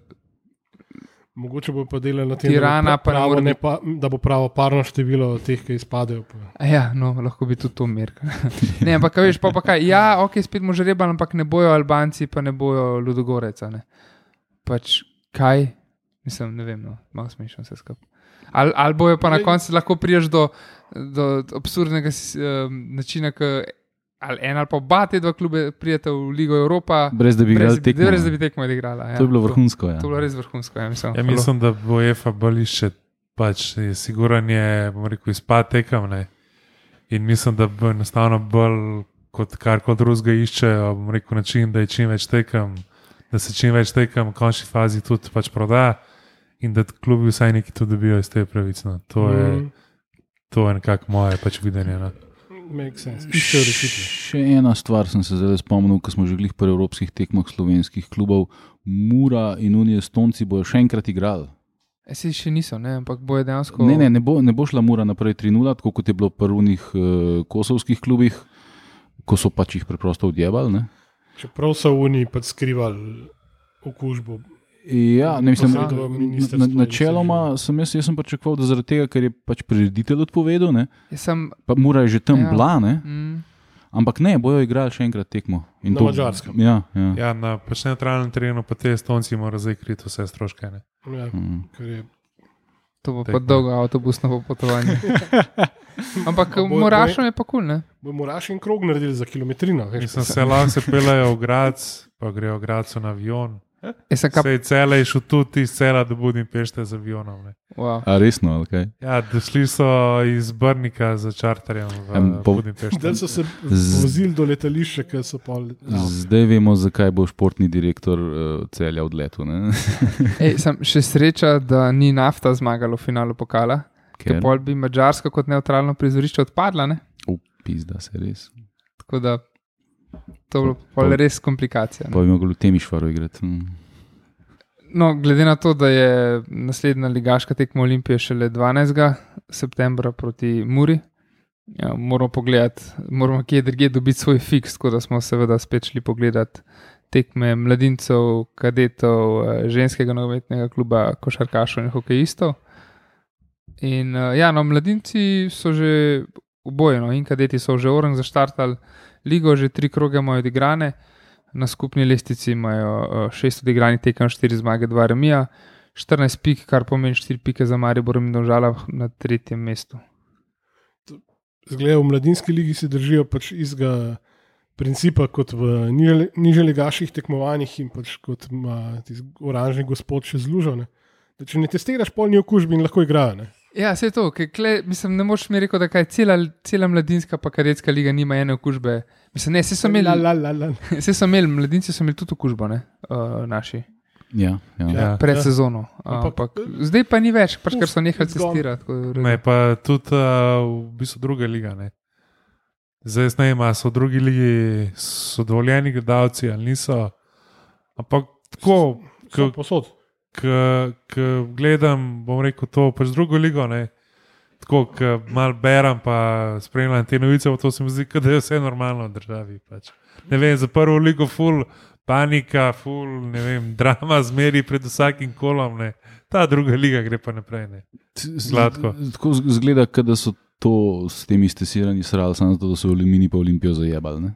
Mogoče bo pa delali na tem, Tirana da, bo pa ne pravo, more ne biti- pa, da bo pravo parno število teh, ki izpadejo. Pa. a ja, no, lahko bi tudi to merk. Ne, ampak kaj veš, pa, pa kaj, ja, ok, spet mu žrebali, ampak ne bojo Albanci, pa ne bojo Ludogoreca. Ne. Pač kaj, mislim, ne vem, no, malo smešno vse skupaj. Ali al bojo pa na koncu lahko priješ do, do absurdnega um, načina, ki ali en ali pa oba te dva klube prijete v Ligo Evropa, Brez da bi igrali tekmo. brez da bi tekmo odigrala. Ja. To je bilo vrhunsko. Ja. To, to je bilo res vrhunsko. Ja, mislim, Ja, mislim, da bo UEFA bolj še, pač je siguran je, bom rekel, izpad tekam, ne. In mislim, da bo enostavno bolj kot kar koli drugega iščejo, bom rekel, način, da je čim več tekem, da se čim več tekem v končni fazi tudi pač proda in da klubi vsaj neki tudi dobijo iz te pravice. No. To je, Mm. to je nekako moje pač videnje. No. Make sense. Iščejo rešitve. Še ena stvar sem se zdaj spomnil, ko smo že glih pri evropskih tekmah slovenskih klubov. Mura in Unije Estonci bojo še enkrat igrali. E, si še niso, ne? Ampak boje dejansko. Ne, ne, ne bo, ne bo šla Mura naprej tri nula, tako kot je bilo v prvih uh, kosovskih klubih, ko so pač jih preprosto odjebali. Ne? Čeprav so v Uniji pač skrivali okužbo. Ja, ne mislim, Posredo na, ministrstvo na, in načeloma sem jaz, jaz sem pričakoval, da zaradi tega, ker je pač prireditelj odpovedal, ne, Jaz sem, pa Mura je že tam Ja. ja. bila, ne, mm, ampak ne, bojo igrali še enkrat tekmo. In Na Madžarskem. Ja, ja. Ja, na pač neutralnem terenu pa te Estonci morajo zdaj kriti vse stroške. Ne? Ja, Mm. ker je to bo Tekmo. pa dolgo avtobusno popotovanje. Ampak A bo- Morašom je pa kul, ne? bomo Raš in krog naredili za kilometrino. Veš, Mislim, se lahko se peljejo v Graz, pa grejo v Gradcu na avion. Jaz sem kap, Sej cele je šel tudi iz cela do Budimpešte z avionom. Ne? wow. A resno, ali kaj? Ja, došli so iz Brnika za čarterjem v Em, po- Budimpešte. Zdaj so se Z- vozili do letališča, ker so pol. Ja. Zdaj vemo, zakaj bo športni direktor uh, celja odletel. Ne? Ej, sem še sreča, da ni nafta zmagala v finalu pokala, ker Ker pol bi Madžarska kot neutralno prizorišče odpadla, ne? upizda se res. Tako da to bo pol Pa- res komplikacija. Pa bi mogli v Temišvaru igrati. Mm. No, glede na to, da je naslednja ligaška tekma Olimpije šele dvanajstega septembra proti Muri, ja, moramo pogledati, moramo kje drugje dobiti svoj fiks, tako da smo seveda spet šli pogledati tekme mladincev, kadetov, eh, ženskega nogometnega kluba, košarkašov in hokejistov. In eh, ja, no, mladinci so že obojeno in kadeti so že orang zaštartali ligo, že tri kroge imajo odigrane. Na skupni lestvici imajo uh, šest odigranih tekem, štiri zmage, dva remija, štirinajst pik, kar pomeni štiri pike za Maribor in Domžala na tretjem mestu. Zgleda, v mladinski ligi se držijo pač istega principa kot v niže- nižjeligaških tekmovanjih in pač kot ima tisti oranžni gospod še zlužene. Če ne testiraš polni okužbi in lahko igrajo. Ne? Ja, vse to, ker kle, mislim, ne moš mi reči, da kaj cela, cela mladinska pa kadetska liga nima ene okužbe. Mislim, ne, vse so imeli, La, la, la, la. vse so imeli, mladinci so imeli tudi okužbo, ne, uh, naši, Ja, ja. Ja. pred ja. sezono. Ampak- Ampak zdaj pa ni več, pač ker so Uf, nehali it's gone. testirati. tako da- Ne, pa tudi uh, v bistvu druga liga. Ne. Zdaj jaz ne vem, ali so v drugi ligi so dovoljeni gledalci ali niso. Ampak tako, So ko posod. gledam, bom rekel to pač drugo ligo. Ne. Tako, ko malo berem, pa spremljam te novice, pa to se mi zdi, kot da je vse normalno v državi. Pač. Ne vem, za prvo ligo ful, panika, ful, ne vem, drama zmeri pred vsakim kolom. Ne. Ta druga liga gre pa naprej. Ne. Gladko. Tako z- zgleda, kot da so to s temi stesiranji srali, samo zato, da so Aluminij pa Olimpijo zajebali. Ne?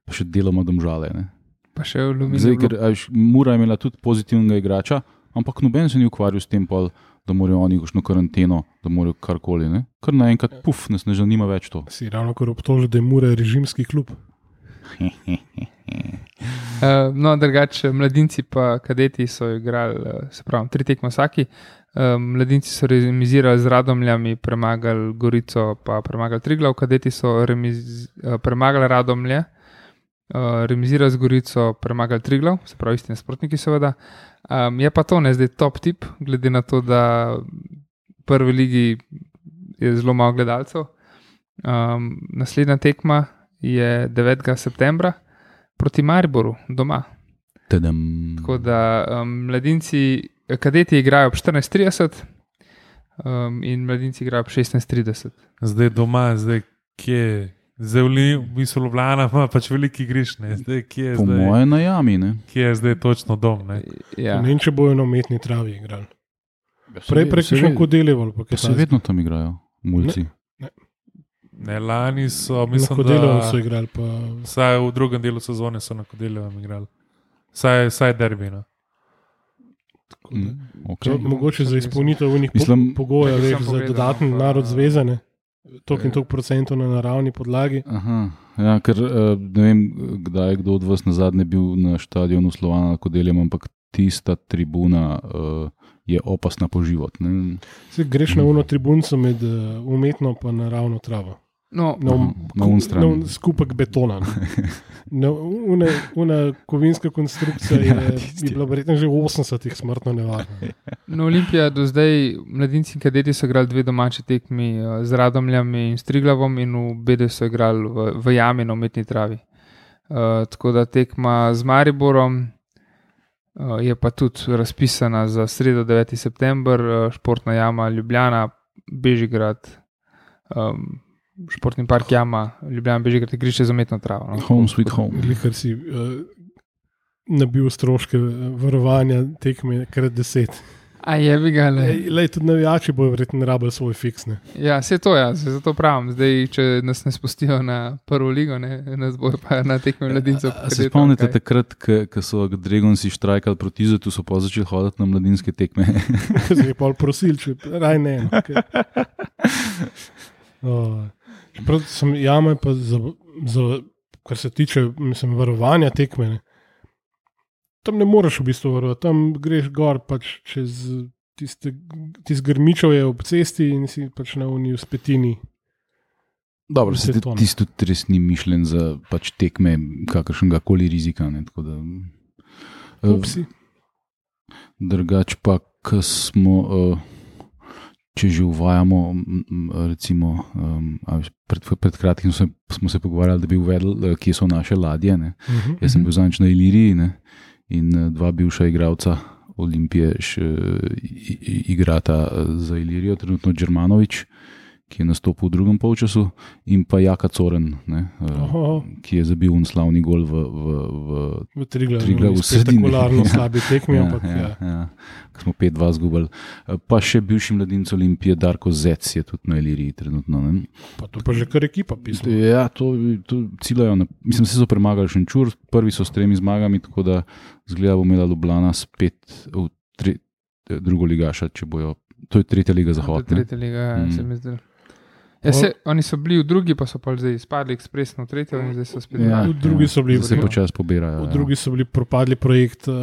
Pa še deloma Domžale. Ne? Pa še v Zdaj, ker Lumini. a veš, Mura je imela tudi pozitivnega igrača, ampak noben se ni ukvarjal s tem, pol, da morajo oni kakšno karanteno, da morajo karkoli. Ne? Kar naenkrat, puf, nas ne zanima več to. Si ravno kar obtožil, da je Mura režimski klub. Uh, no, drugače, mladinci pa kadeti so igrali, uh, se pravi, tri tekme vsaki. Uh, mladinci so remizirali z Radomljami, premagali Gorico, pa premagali Triglav, kadeti so remiz, uh, premagali Radomlje, uh, remizirali z Gorico, premagali Triglav, se pravi, isti nasprotniki, seveda. Um, je pa to ne zdaj top tip, glede na to, da v prvi ligi je zelo malo gledalcev. Um, naslednja tekma je devetega septembra proti Mariboru doma. Tadam. Tako da um, mladinci, kadeti igrajo ob štirinajst trideset um, in mladinci igrajo ob šestnajst trideset. Zdaj doma, zdaj kje. Zdaj v Li- v bistvu Ljubljana ima pač veliki griš. Ne. Zdaj kje je Po zdaj, moje na jami. Ne? kje je zdaj točno dom. Ne. Ja. Ne vem, če bojo na umetni travi igrali. Prej Se prek ve- še kodeleval. Pa se vedno tam igrajo, mulci. Ne, lani so, Na mislim, kodeleval so da igrali. Pa... vsaj v drugem delu sezone so na Kodeljevem igrali. Vsaj, vsaj derbi. No. Mm, To, okay. mogoče za izpolnitev unih po, Mislim- pogojev, Čakaj, veš, samo za pogledam, dodaten pa- narod zvezane, toliko in toliko procentov na naravni podlagi. Aha, ja, ker eh, ne vem, kdaj je kdo od vas na zadnje bil na stadionu Slovana Kodeljem, ampak tista tribuna uh, je opasna po život. Ne? Se greš na uno tribunco med uh, umetno in naravno travo. No, na, na un strani. na un skupek betona. Ne. Una, una kovinska konstrukcija je, Ja, je tisti. bila verjetno že v osemdesetih smrtno nevarna. no, Olimpija do zdaj, mladinci in kadeti so igrali dve domači tekmi eh, z Radomljami in Striglavom in v Bedu so igrali v, v jami na umetni travi. Uh, tako da tekma z Mariborom uh, je pa tudi razpisana za sredo deveti september, uh, športna jama Ljubljana, Bežigrad, um, športni park jama Ljubljana, Bežigrad, igrišče za umetno travo. No. Home sweet home. Ker si uh, nabil stroške varovanja tekme krat deset. A je bi ga le. Lej, lej, tudi navijači bojo verjetno rabili svoj fiks. Ne? Ja, vse to je, ja, zato pravim. Zdaj, če nas ne spustijo na prvo ligo, ne, nas bojo pa na tekme mladincev. A se spomnite takrat, ko so Dragonsi štrajkali proti Izetu, so pa začeli hoditi na mladinske tekme? Zdaj je pol prosil, če raj ne. No, okay. uh, čeprav sem jame pa za, za, kar se tiče mislim, varovanja tekme, ne. Tam ne moreš v bistvu varovati, tam greš gor pač čez tiste, tiste grmičev je ob cesti in si pač na uniji v spetini. Dobro, se Beton. tisto tudi res ni mišljen za pač tekme kakršnega koli rizika. Ne, tako da, eh, Upsi. drugač pa, ko smo, eh, če že uvajamo, m, m, recimo, um, a veš, pred, pred kratkim smo se, smo se pogovarjali, da bi uvedli, eh, kje so naše ladje. Ne. Uh-huh. Jaz sem bil zadnjič na Iliriji, ne, in eh, dva bivša igralca Olimpije še i- i- igrata eh, za Ilirijo, trenutno Džermanovič, ki je nastopil v drugem polčasu, in pa Jaka Coren, ne, eh, Oho, ki je zabil un slavni gol v, v, v v Triglavu, Triglav v sredini. spektakularno Ja. slabi tekmi, ja, ampak ja, ja. ja, ko smo pet dva zgubili. Eh, Pa še bivši mladinec Olimpije Darko Zec je tudi na Iliriji trenutno. Ne. Pa to pa že kar ekipa pisma. Ja, to, to ciljajo. Na, mislim, se so premagali Šenčur, prvi so s tremi zmagami, tako da zgleda bo imela Ljubljana spet v tre, drugo ligaša, če bojo. To je tretja liga Zahod. ne. Tretja liga, ja, Mm. se mi zdi. Ja, se, oni so bili v drugi, pa so pa zdaj izpadli ekspresno v tretjo in zdaj so spet Ja, V drugi so bili, Zdaj se ja. počasi pobirajo. V drugi so bili propadli projekt uh,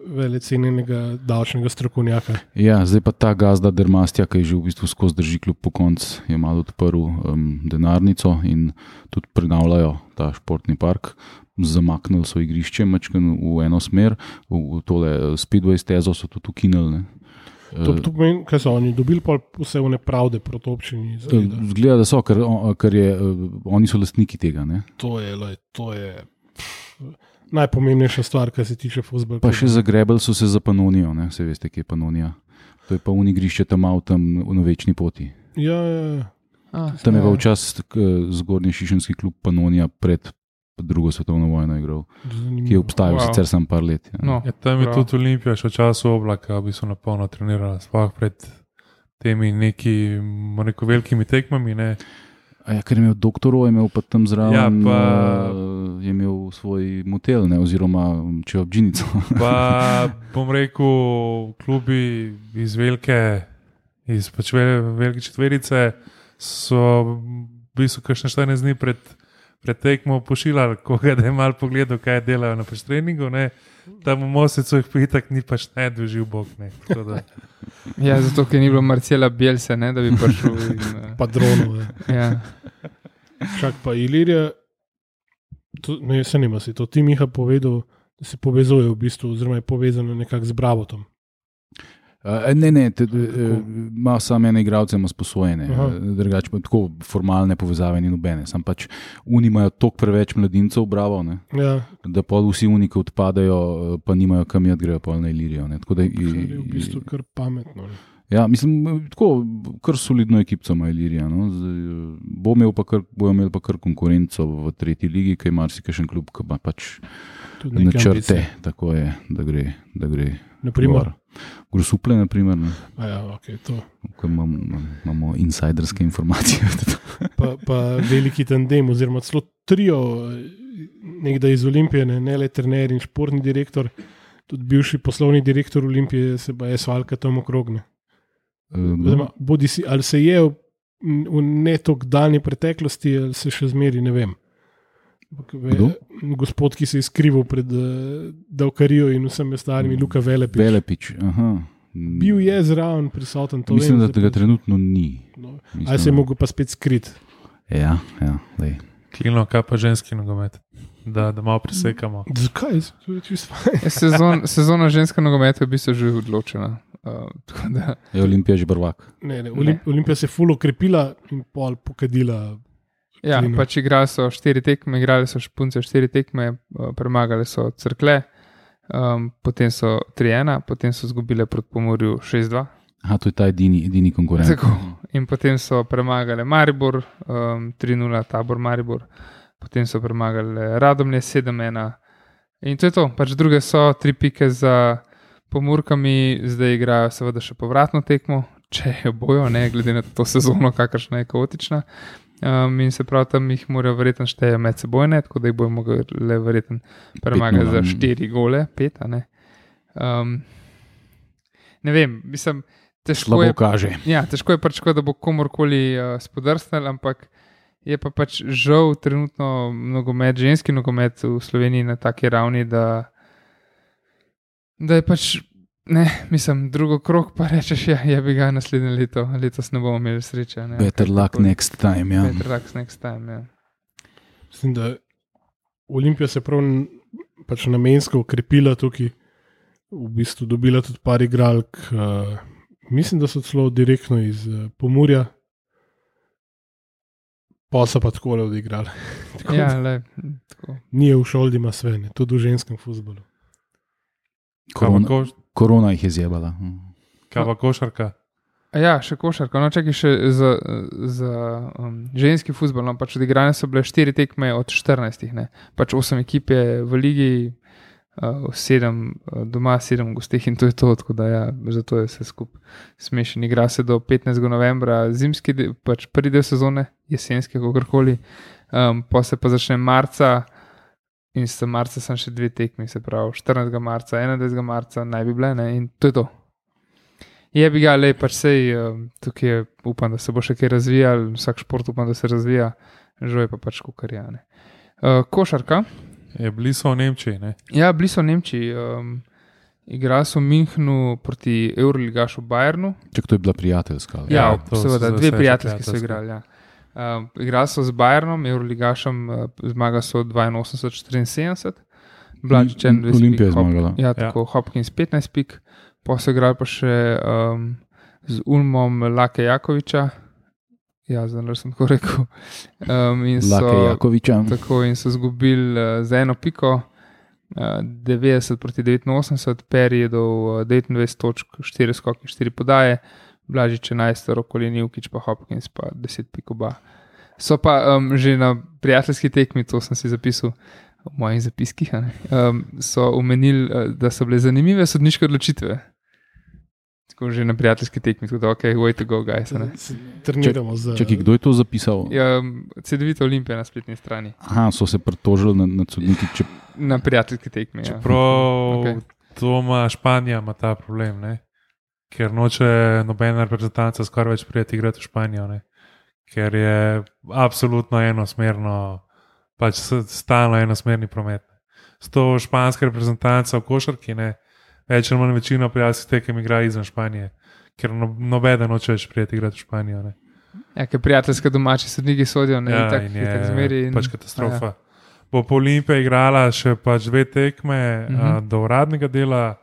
velecenjenega davčnega strokovnjaka. Ja, zdaj pa ta gazda Dermastja, ki je že v bistvu skozi drži kljub po koncu, je malo odprl um, denarnico in tudi prenavljajo ta športni park. Zamaknili so igrišče mačken v eno smer, v, v tole speedway stezo so tudi ukinili. Ne. To, to pomeni, kaj so oni dobili pol vse vne pravde proti občini. Eh, Zaveda. Zgleda, da so, ker, o- ker je, eh, oni so lastniki tega. Ne. To je, lej, to je pff, najpomembnejša stvar, kar se tiče fuzbola. Pa še zagrebali so se za Panonijo, ne. Se veste, kje je Panonija. To je pa unigrišče tam malo tam na večni poti. Ja, ja, ja. A, Tam je ja. pa včasih eh, zgornji šišenski klub Panonija pred drugo svetovno vojno igral, ki je obstajal Wow. wow. sicer samo par let. Ja. No, Ja, tam je prav. tudi Olimpija še v času oblaka, bi so napolno trenirala, sploh pred temi neki, bomo rekel, velikimi tekmami. Ne. A ja, ker je imel doktorov, je imel pa tam zraven, Ja, pa- eh, je imel svoj motel, ne, oziroma če obdžinico. Pa bom rekel, klubi iz velike, iz pač ve- velike četverice so v bistvu kakšne štirinajst dni pred, pred tekmo pošiljali koga, da je malo pogledal, kaj delajo na pač treningu. Ne. Tam v Mosecu jih pa itak ni pač ne doživ bog. Ne. Tako da, Ja, zato, ker ni bilo Marcela Bielse, ne, da bi prišel. In, eh, Pa dronov. ja. Čak pa Ilirija, to, ne, se nima si to ti Miha povedal, da se povezuje v bistvu, oziroma je povezano nekako z Bravotom. Uh, ne, ne, te, uh, ima samo ene igralce, ima sposojene, Aha. drugače pa tako formalne povezave ni nobene. Sam pač oni imajo toliko preveč mladincev, bravo, ne, Ja, da pol vsi oni, ki odpadajo, eh, pa nimajo kam jet, grejo pol na Ilirijo. Ne, tako da, kar je v bistvu kar pametno. Ne. ja, mislim, tako, kar solidno ekipo ima Ilirija. No. Zdaj, eh, bo imel pa kar, bojo imeli pa kar konkurenco v tretji ligi, ki je marsikaj klub, ki ima pač Tudi neke načrte, ambicije. tako je, da gre. Da gre Naprimer, gor. Grosuple, naprimer, ne, a ja, okay, to. ko imamo, imamo insiderske informacije. Pa, pa veliki tandem, oziroma celo trio, nekdaj iz Olimpije, ne, ne le trener in športni direktor, tudi bivši poslovni direktor Olimpije, se pa je svalka tam okrogne. Oziroma, bodi si, ali se je v, v ne tako daljni preteklosti, ali se še zmeri, ne vem. Ampak ve- Kdo? Gospod, ki se je skrival pred uh, Davkarijo in vsemi ostalimi, Luka Velepič. Velepič. Aha. Bil je zraven prisoten, to Mislim, vem, da zdaj tega pa- trenutno ni. no. Mislim, Ali se je mogel pa spet skriti? Ja, ja, lej. Klino, kaj pa ženski nogomet, da, da malo presekamo. Zakaj? To je čisto fajn. Sezon, sezona ženska nogometa je v bistvu že odločena. Uh, tako da, Je Olimpija že prvak. Ne, ne, Olimp, Olimpija se je ful okrepila in pol pokadila. ja, Klino. pač igrali so štiri tekme, igrali so špunce štiri tekme, uh, premagali so Cerkle, um, potem so tri ena, potem so izgubile proti Pomurju šest dva. Aha, to je ta edini, edini konkurent. Tako. In potem so premagali Maribor, um, tri nula, Tabor Maribor, potem so premagali Radomlje sedem ena. In to je to, pač druge so, tri pike za Pomurkami, zdaj igrajo seveda še povratno tekmo, če jo bojo, ne glede na to sezono, kakršna je kaotična. Um, in se prav tam jih morajo verjetno šteje med sebojne, tako da jih bojo mogli verjetno premagati za štiri gole, pet, a ne. Um, ne vem, mislim, težko Slabo je, kaže. ja, težko je pač, da bo komorkoli uh, spodrsnil, ampak je pa pač žal trenutno nogomet, ženski nogomet v Sloveniji na taki ravni, da, da je pač, ne, mislim, drugo krog pa rečeš, ja, je bi ga naslednje leto, letos ne bomo imeli sreče. Ne, Better luck tako, next time, ja. Better luck next time, ja. Mislim, da Olimpija se je prav n- pač namensko ukrepila tukaj, v bistvu dobila tudi par igralk, uh, mislim, da so celo direktno iz uh, Pomurja, pa so pa takole odigrali. Tako Ja, da le, tako. Nije v šoldi ima sve, ne, tudi v ženskem fuzbolu. Kaj pa, Korona, koš, korona jih je zjebala. kaj pa košarka? A ja, še košarka, no čakaj še za, za um, ženski fuzbol, no pač odigrane so bile štiri tekme od štirinajstih, ne, pač osem ekip je v ligi, uh, sedem uh, doma, sedem v gosteh in to je to, tako da ja, zato je vse skupaj smešen. Igra se do petnajstega novembra, zimski, del, pač prvi del sezone, jesenske, kakorkoli, um, pa se pa začne marca in se marca sem še dve tekmi, se pravi štirinajstega marca, enaindvajsetega marca naj bi bile, ne, in to je to. Je bi ga, le pač sej, um, tukaj je, upam, da se bo še kaj razvijal, vsak šport upam, da se razvija, žal je pa pač kukarjane. Uh, košarka. Je bili so v Nemčiji, ne? Ja, bili so v Nemčiji. Um, igrali so v Münchnu proti Euroligašu Bayernu. Čak, to je bila prijateljska. ali? Ja, Ja, to seveda, so dve vse prijateljski so prijateljski. igrali. Ja. Um, igrali so z Bayernom, Euroligašem, uh, zmaga so dvainosemdeset štiriinsedemdeset. Blažič enaindvajset Olimpija je pik, Hop- zmagala. Ja, tako, ja. Hopkins petnajst pik, pa so igrali pa še um, z Ulmom Lake Jakoviča. Ja, zdaj sem tako rekel. Um, in so, Lake Jakoviča. Tako, in so izgubili uh, za eno piko, uh, devetdeset proti devetinosemdeset, Peri je do uh, devetindvajset točk, štiri skoki, štiri podaje, Blažič enajst, Rokolin Jukič pa Hopkins pa deset pik oba. So pa um, že na prijateljski tekmi, to sem si zapisal v mojih zapiskih, a ne, um, so omenili, uh, da so bile zanimive sodniške odločitve. Tako že na prijateljski tekmi, tako da ok, way to go, guys. a ne. Se Treniramo za... Čakaj, kdo je to zapisal? Ja, Cedevita Olimpija na spletni strani, Aha, so se pritožili na, na sodniki. Če... na prijateljski tekmi. Ja. Čeprav Okej. to ima Španija, ima ta problem, ne? Ker noče nobena reprezentanca skoraj več prijeti igrati v Španijo, ne? Ker je absolutno enosmerno, pač s- stalno enosmerni promet. S to španska reprezentanca v košarki, ne, več ali manj večino prijateljskih tekem igra izven Španije, ker no, nobeden noče več prijeti igrati v Španijo, ne. Ja, ker prijateljske domači sodniki sodijo, ne, Ja, itak, in itak je zmeri in, pač katastrofa. Bo pa Olimpija igrala še pač dve tekme uh Mhm. -huh. do uradnega dela,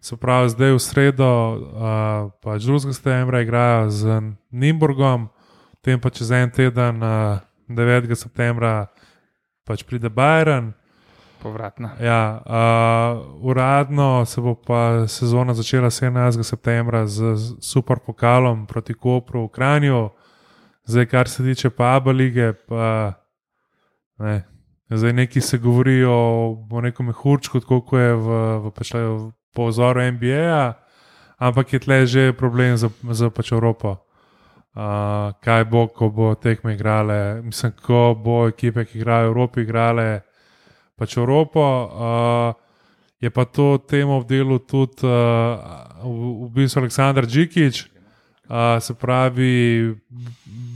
se pravi zdaj v sredo, uh, pač drugega septembra igrajo z Nimburgom, potem pa čez en teden, uh, devetega septembra, pač pride Bayern. povratna. Ja, uh, uradno se bo pa sezona začela sedemnajstega septembra z, z super pokalom proti Kopru v Kranju. Zdaj, kar se tiče pa A B A lige, pa ne. Zdaj neki se govori o, o nekom mehurčku, tako kot je v, v, pač, v, po vzoru N B A, ampak je tle že problem za, za pač Evropo. Uh, kaj bo, ko bo tekme igrale, mislim, ko bo ekipe, ki igrajo v Evropi, igrale pač Evropo. Uh, je pa to temo v delu tudi uh, v, v bistvu Aleksandar Džikić, uh, se pravi, v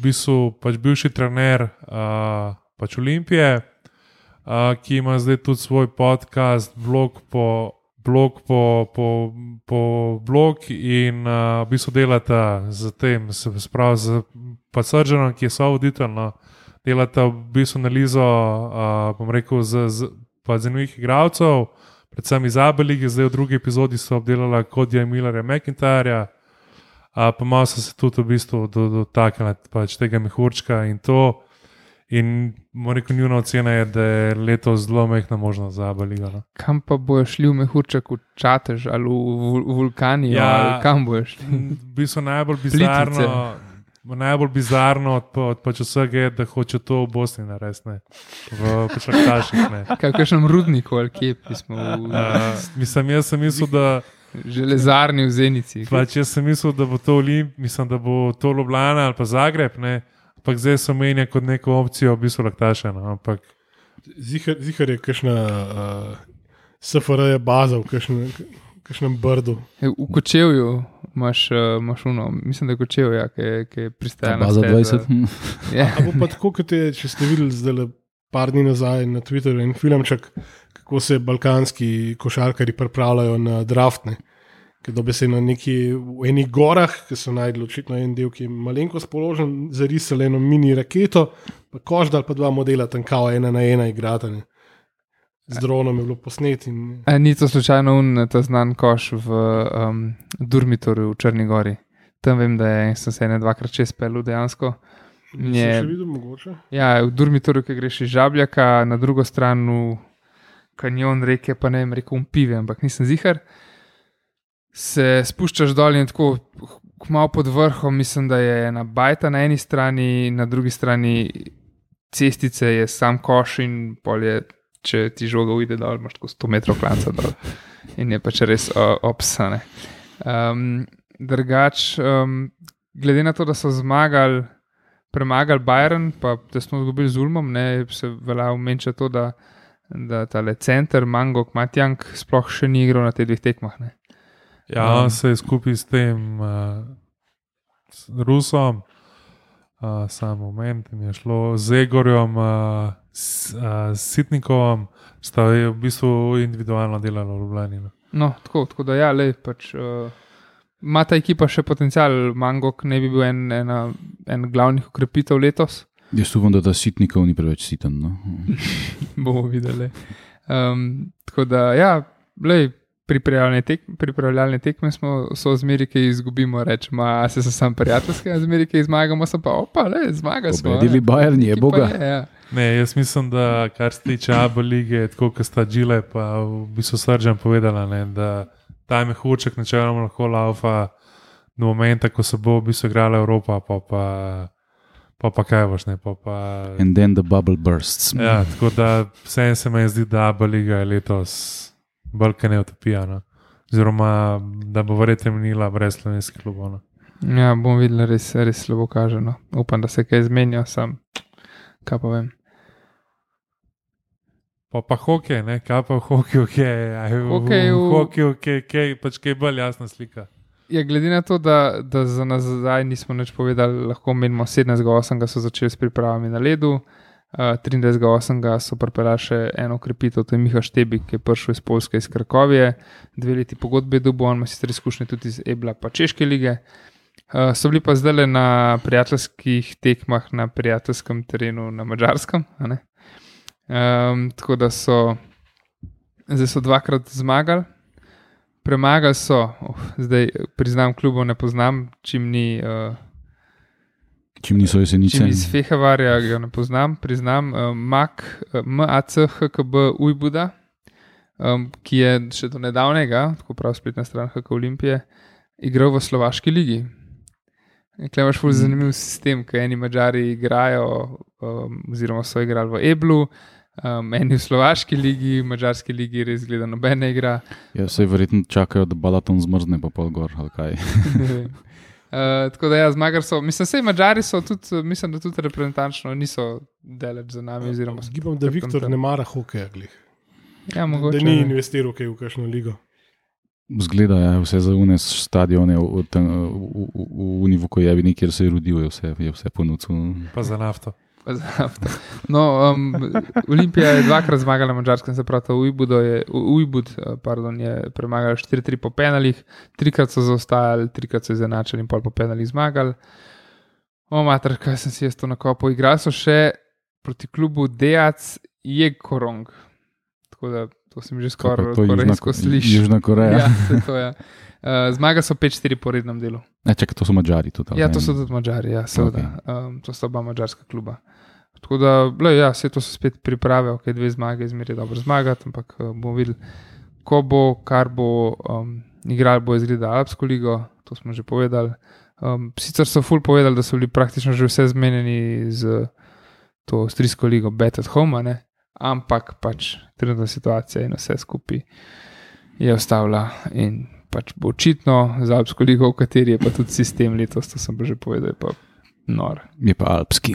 bistvu pač bivši trener uh, pač Olimpije, uh, ki ima zdaj tudi svoj podcast, blog po, blog po, po, po blog in uh, v bistvu delata z tem, se pravi z pa Sržanom, ki je sovoditelj, no, delata v bistvu analizo, uh, bom rekel, z, z, zanimivih igralcev, predvsem iz A B lige, zdaj v drugi epizodi so obdelala Codyja Millerja McIntyra, uh, pa malo so se tudi v bistvu dotaknili pač tega mehurčka in to. In moram reči, njuna ocena je, da je letos zelo mehna možnost za A B ligo. No. Kam pa bojo šli v mehurček, v Čatež ali v, v Vulkani? Ja, kam bojo šli? V bistvu najbolj bizarno, najbolj bizarno od, od pač vsega je, da hoče to v Bosni narediti, v Pešaktaših. Kakšnem rudniku ali kje smo? V... Uh, mislim, jaz sem mislil, da železarni v Zenici. Pač jaz sem mislil, da bo to Olimp, mislim, da bo to Ljubljana ali pa Zagreb, ne. Ampak zdaj so menja kot neko opcijo, v bistvu laktaša. No? Ampak... Zihar, zihar je kakšna uh, S F R je baza v kakšnem, kakšnem brdu. E, v Kočevju imaš, uh, imaš uno, mislim, da je Kočev, ja, ki je pristajal na baza dvajset. Ja. A bo pa tako, kot je, če ste videli zdaj par dni nazaj na Twitterju in filmček, kako se balkanski košarkari pripravljajo na draftne. Ker dobe se na neki, v enih gorah, ki so najdli očitno en del, ki je malenko spoložen, zarisali eno mini raketo, pa koždal pa dva modela, tam kao ena na ena igrata. Ne. Z dronom je bilo posneti. In... Ni to slučajno un, ta znan koš v um, Durmitorju v Črni gori. Tam vem, da je, sem se ene dvakrat čez pelil dejansko. Nisem je, še videl mogoče? Ja, v Durmitorju, ki greš iz Žabljaka, na drugo stran v kanjon reke, pa ne vem, rekel um pive, ampak nisem zihar. Se spuščaš dol in tako malo pod vrhom, mislim, da je ena bajta na eni strani, na drugi strani cestice je sam koš in pol je, če ti žoga ujde dol, imaš tako sto metrov klanca dol in je pač res uh, opsane. Um, drugač, um, glede na to, da so zmagali, premagali Bayern, pa da smo zgubili z Ulmom, ne, se velja omenča to, da, da tale center, Mangok, Matjank sploh še ni igral na teh dveh tekmah, ne. Ja, on se je skupaj s tem uh, s Rusom, uh, sam moment, mi je šlo z Egorjem, uh, s uh, Sitnikovom, sta v bistvu individualno delala v Ljubljani. No, tako, tako da ja, lej, pač uh, ima ta ekipa še potencial, Mangok ne bi bil en, ena, en glavnih ukrepitev letos. Jaz upam, da ta Sitnikov ni preveč siten. No? Bomo videli. Um, tako da ja, lej, Pripravljalne, tek, pripravljalne tekme smo, so zmeri, ki izgubimo, rečemo, a se so sam prijateljske, a zmeri, ki zmagamo, so pa, opa, le, zmaga smo. Pobedili Bayern, je boga. Je, ja. Ne, jaz mislim, da kar se tiče A B lige, tako kot sta Džile, pa v bistvu Srdžan povedala, ne, da ta mehurček načeloma lahko laufa do momenta, ko se bo v bistvu igrala Evropa, pa pa, pa, pa kaj boš, ne, pa pa... And then the bubble bursts. Ja, tako da vsem se mi zdi, da A B liga je letos bolj kaj ne utopija, no. Oziroma, da bo verjetno minila brez slovenskih klubov. No. Ja, bom videl, res, res slabo kaže. No. Upam, da se kaj zmenja, sam, kaj pa vem. Pa pa hokej, ne, kaj pa v hokeju, kaj je, v hokeju, kaj pač kaj bolj jasna slika. Ja, glede na to, da, da za nazaj nismo nič povedali, lahko menimo sedemnajstega osmega so začeli s pripravami na ledu, Uh, triindvajsetega osmega so pripeljali še eno ukrepitev, to je Miha Štebik, ki je prišel iz Poljske, iz Krakovije, dve leti pogodbe dobil, on ima sicer izkušnje tudi iz Ebla pa Češke lige. Uh, so bili pa zdaj na prijateljskih tekmah na prijateljskem terenu na Madžarskem, a ne? Um, tako da so zdaj so dvakrat zmagali, premagali so, oh, zdaj priznam klubov ne poznam, čim ni uh, Čim niso Jesenice. Čim iz Fehevarja ga ne poznam, priznam. Uh, Mak, uh, M A C H K B Ujbuda, um, ki je še do nedavnega, tako prav spletna stran H K Olimpije, igral v Slovaški ligi. Tukaj imaš ful zanimiv sistem, ker eni Mađari igrajo, um, oziroma so igrali v Eblu, um, eni v Slovaški ligi, v Mađarski ligi res gleda nobene igra. Ja, saj verjetno čakajo, da Balaton zmrzne pa pol gor, ali kaj. Uh, tako da ja, zmagar so, mislim, sej Mađari so tudi, mislim, da tudi reprezentančno niso deleč za nami. Oziroma, Zgibam, da Viktor ne mara hokeja, glih. Ja, mogoče. Da ni investiral kaj v kakšno ligo. Zgleda, ja, vse za unes stadione v, v, v, v Univukojevi, kjer se je rodil, je vse, je vse ponudil. Pa za nafto. Pa za nafto. No, um, Olimpija je dvakrat zmagala na Mađarskem, se pravi, Ujbud je, Ujbud, pardon, je premagal štiri tri po penalih, trikrat so zaostajali, trikrat so izenačili in pol po penalih zmagali. O, mater, kaj sem si jaz to nakopal. Igrali so še proti klubu Dejac Jekorong. Tako da to se mi že skoraj Kako je to korejsko Južna- sliši. Južna Koreja. Ja, to je to, ja. Uh, zmaga so pet štiri po rednem delu. Ne, čakaj, to so Madžari tudi. Ja, ali to ne? so tudi Madžari, ja, seveda. Um, to sta oba madžarska kluba. Tako da, le, ja, vse to so spet priprave, ok, dve zmage, zmeraj dobro zmagati, ampak uh, bomo videli, ko bo, kar bo um, igral, bo izgledal Alpsko ligo, to smo že povedali. Um, sicer so ful povedali, da so bili praktično že vse zmenjeni z to avstrijsko ligo Bet at Home, a ne? Ampak pač trenutna situacija in vse skupaj je ostavila in pač bo očitno za Alpsko ligo, v kateri je pa tudi sistem letos, to sem pa že povedal, je pa nor. Je pa alpski.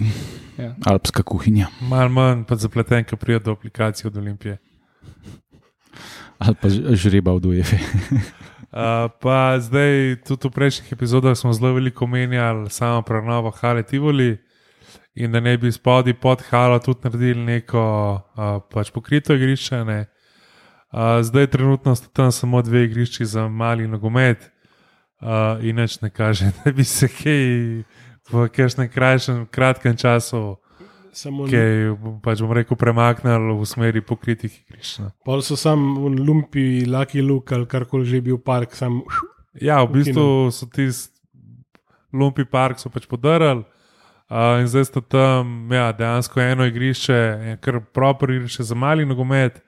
Ja. Alpska kuhinja. Mal manj pa zapleten, ko pride do aplikacije od Olimpije. Ali pa ž- žreba od UEFA. Uh, pa zdaj, tudi v prejšnjih epizodah smo zelo veliko menjali samo prenovo Hale Tivoli in da ne bi spodaj pod Halo tudi naredili neko uh, pač pokrito igrišče. Ne. Uh, zdaj trenutno sta tam samo dve igrišči za mali nogomet uh, in nič ne kaže, da bi se kaj v kakšnem krajšem, kratkem času Samo kaj, pač bom rekel, premaknili v smeri pokritih igrišč. Ne. pol so sam v Lumpi, Lucky Luke ali karkoli že bil park, sam Ja, v bistvu so tisti Lumpi park so pač podarili uh, in zdaj sta tam ja, dejansko eno igrišče, en kar proper igrišče za mali nogomet,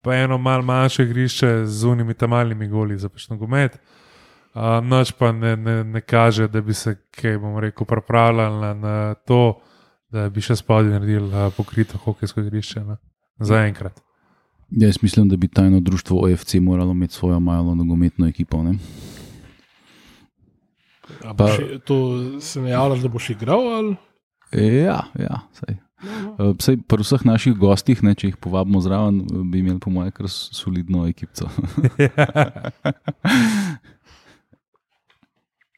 pa eno malo manjše igrišče z unimi tam malimi goli za pač nogomet. Uh, noč pa ne, ne, ne kaže, da bi se, kaj bom rekel, pripravljali na, na to, da bi še spodaj naredili uh, pokrito hokejsko igrišče. Ne? Zaenkrat. Ja, jaz mislim, da bi tajno društvo O F C moralo imeti svojo malo nogometno ekipo. Ne? A Pa- boš, to se najavljaš, da boš igral ali? Ja, ja, saj. Uh, Saj pri vseh naših gostih, ne, če jih povabimo zraven, bi imeli po mojem kar s- solidno ekipco.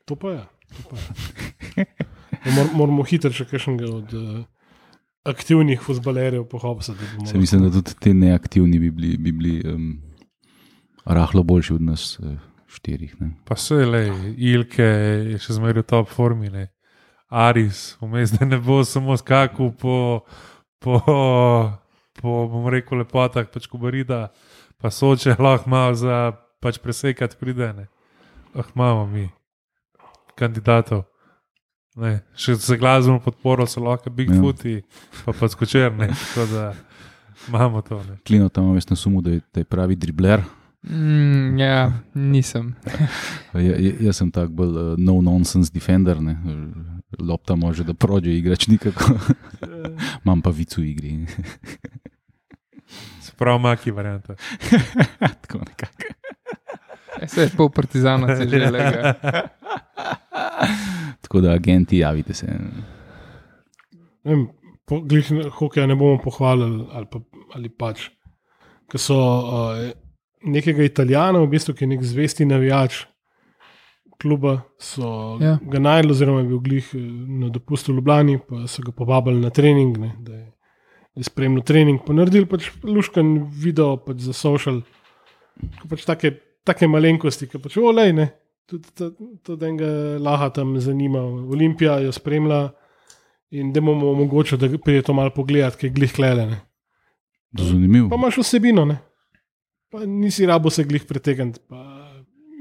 To pa je. To pa je. Mor, moramo hitro še kakšnega od uh, aktivnih fuzbalerjev pohopsati. Se mislim, da tudi te neaktivni bi bili, bi bili um, rahlo boljši od nas uh, štirih. Ne. Pa vse le, Ilke je še zmeraj v top formi, ne. Aris, vmes, da ne bo samo skakal po, po, po bom rekel, lepotah, pač Kobarida, pa Soče lahko malo za pač presekati pride, ne. Ah, imamo mi kandidatov. Ne. Še za glasbeno podporo so lahko Bigfooti, pa pa Skočer, ne. Tako da imamo to, ne. Klino tam veš na sumu, da je, da je pravi dribler. Mm, ja, nisem. Ja, jaz sem tak bolj uh, no-nonsense defender, ne. Lopta može, da prođe igrač nikako. Imam pa vic v igri. Se pravi, maki varianta. Tako nekako. Vse je pol partizana, se že lega. Tako da agenti, javite se. Ne vem, po, glih hokeja ne bomo pohvalili ali, pa, ali pač, ker so uh, nekega Italijana, v bistvu, ki je nek zvesti navijač kluba, so Ja. ga najdli, oziroma je bil glih eh, na dopustu v Ljubljani, pa so ga povabili na trening, ne, da je, je spremljal trening, pa naredili pač luškan video pač za social, ko pač take, take malenkosti, ki pač olej, ne, tudi, tudi, tudi enega laha tam zanima, Olimpija jo spremlja in da bomo omogočili, da pride to malo pogledati, kaj je glih klele, ne. Zanimivo. Pa imaš vsebino, ne. Pa nisi rabo se glih pretegniti, pa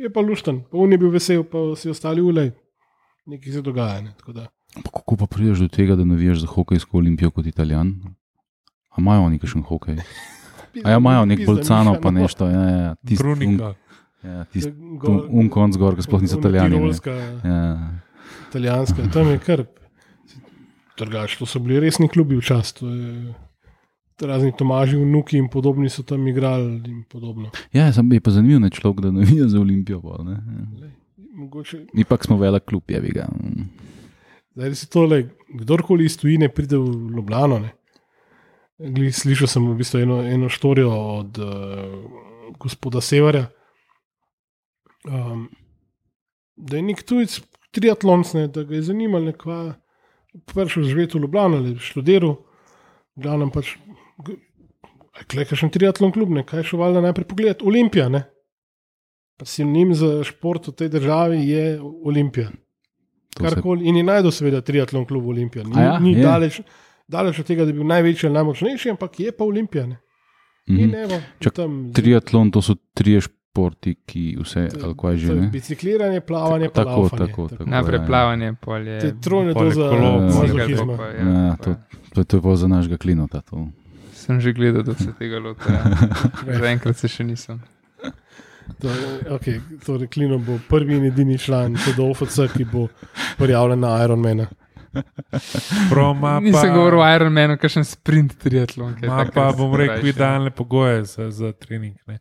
je pa lušten, pa on je bil vesel, pa vsi ostali ulej. Nekaj se dogaja, ne, tako da. Pa kako pa prideš do tega, da navijaš za hokejsko olimpijo kot Italijan? A imajo oni kakšen hokej? A ja, imajo nek bolcano pa nešto. Ja, ja, tist, un, Brunika. ja, tist, un, un konc gor, ki sploh niso Italijani. ne. Tirolska, Ja. italijanska, tam je kar. Drugač, to so bili resni klubi včasih. To je razni Tomaži, vnuki in podobni so tam igrali in podobno. Ja, sem je pa zanimiv, ne človek, da navija za olimpijo. Pa, ne. Mogoče, Mi pa smo velik klub, je bi ga. zdaj si tole, kdorkoli iz tujine pride v Ljubljano, ne. Glih, slišal sem v bistvu eno, eno štorijo od uh, gospoda Severja, um, da je nek tujec triatlonc, ne, da ga je zanimalo, nekva prišel živeti v Ljubljano ali študiral, v glavnem pač, kaj je kakšen triatlon klub, ne, kaj je šel valjda najprej pogledati, Olimpija, ne. Pa sinonim za šport v tej državi je Olimpija. To se- Karkoli, in je najdel seveda triatlon klub Olimpija. Ni, A ja, ni je. daleč, daleč od tega, da bi bil največji ali najmočnejši, ampak je pa Olimpija. Ne? In evo, Čak, tam, triatlon, to so trije športi, ki vse, ali kaj že ne. Bicikliranje, plavanje, pa Tako, laufanje. tako, tako. Najprej ja. plavanje, polje. Te trojne Pol doza ekolo, mazohizma. Ja, to, to, to je pa za našega klinota. To. Sem že gledal, da se tega lota. Ja. Zaenkrat se še nisem. To, okay, torej, Klino bo prvi in edini član T D O F C, ki bo prijavljen na Ironmana. Proma Nisem pa, govoril o Ironmanu, kakšen sprint triatlon. kaj ma takrat pa se bom rekel, krajše. idealne pogoje za, za trening. Ne.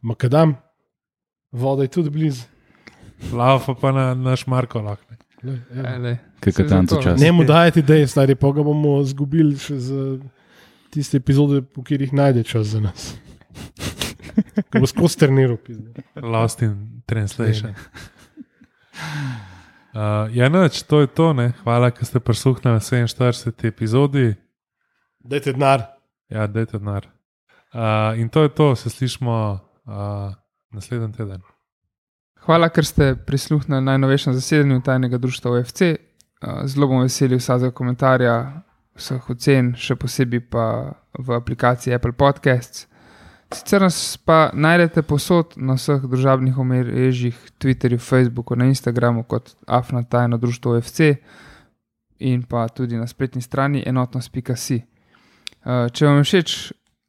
Makadam, voda je tudi blizu. Laufa pa na, na šmarko lahko. Le, evo. Ja, lej. Kaj Saj katanco zato. čas. Ne mu dajati idej, stari, pa ga bomo zgubili še za tiste epizode, v katerih najde čas za nas. Ko bo skozi treniral. Lost in translation. Uh, ja, noč, to je to. Ne. Hvala, ker ste prisluhnili sedeminštirideseti epizodi. Dajte denar. Ja, dajte denar. Uh, in to je to, se slišmo uh, naslednji teden. Hvala, ker ste prisluhnili najnovejšem zasedanju Tajnega društva O F C. Uh, Zelo bom veseli vsakega komentarja, vseh ocen, še posebej pa v aplikaciji Apple Podcasts. Sicer nas pa najdete posod na vseh družabnih omrežjih, Twitterju, Facebooku, na Instagramu kot afna tajno društvo O F C in pa tudi na spletni strani enotnost pika si. Če vam je všeč,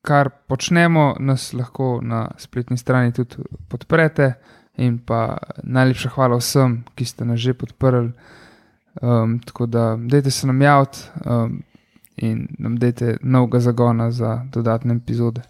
kar počnemo, nas lahko na spletni strani tudi podprete in pa najlepša hvala vsem, ki ste nas že podprli. Um, tako da dajte se nam javiti um, in nam dajte novega zagona za dodatne epizode.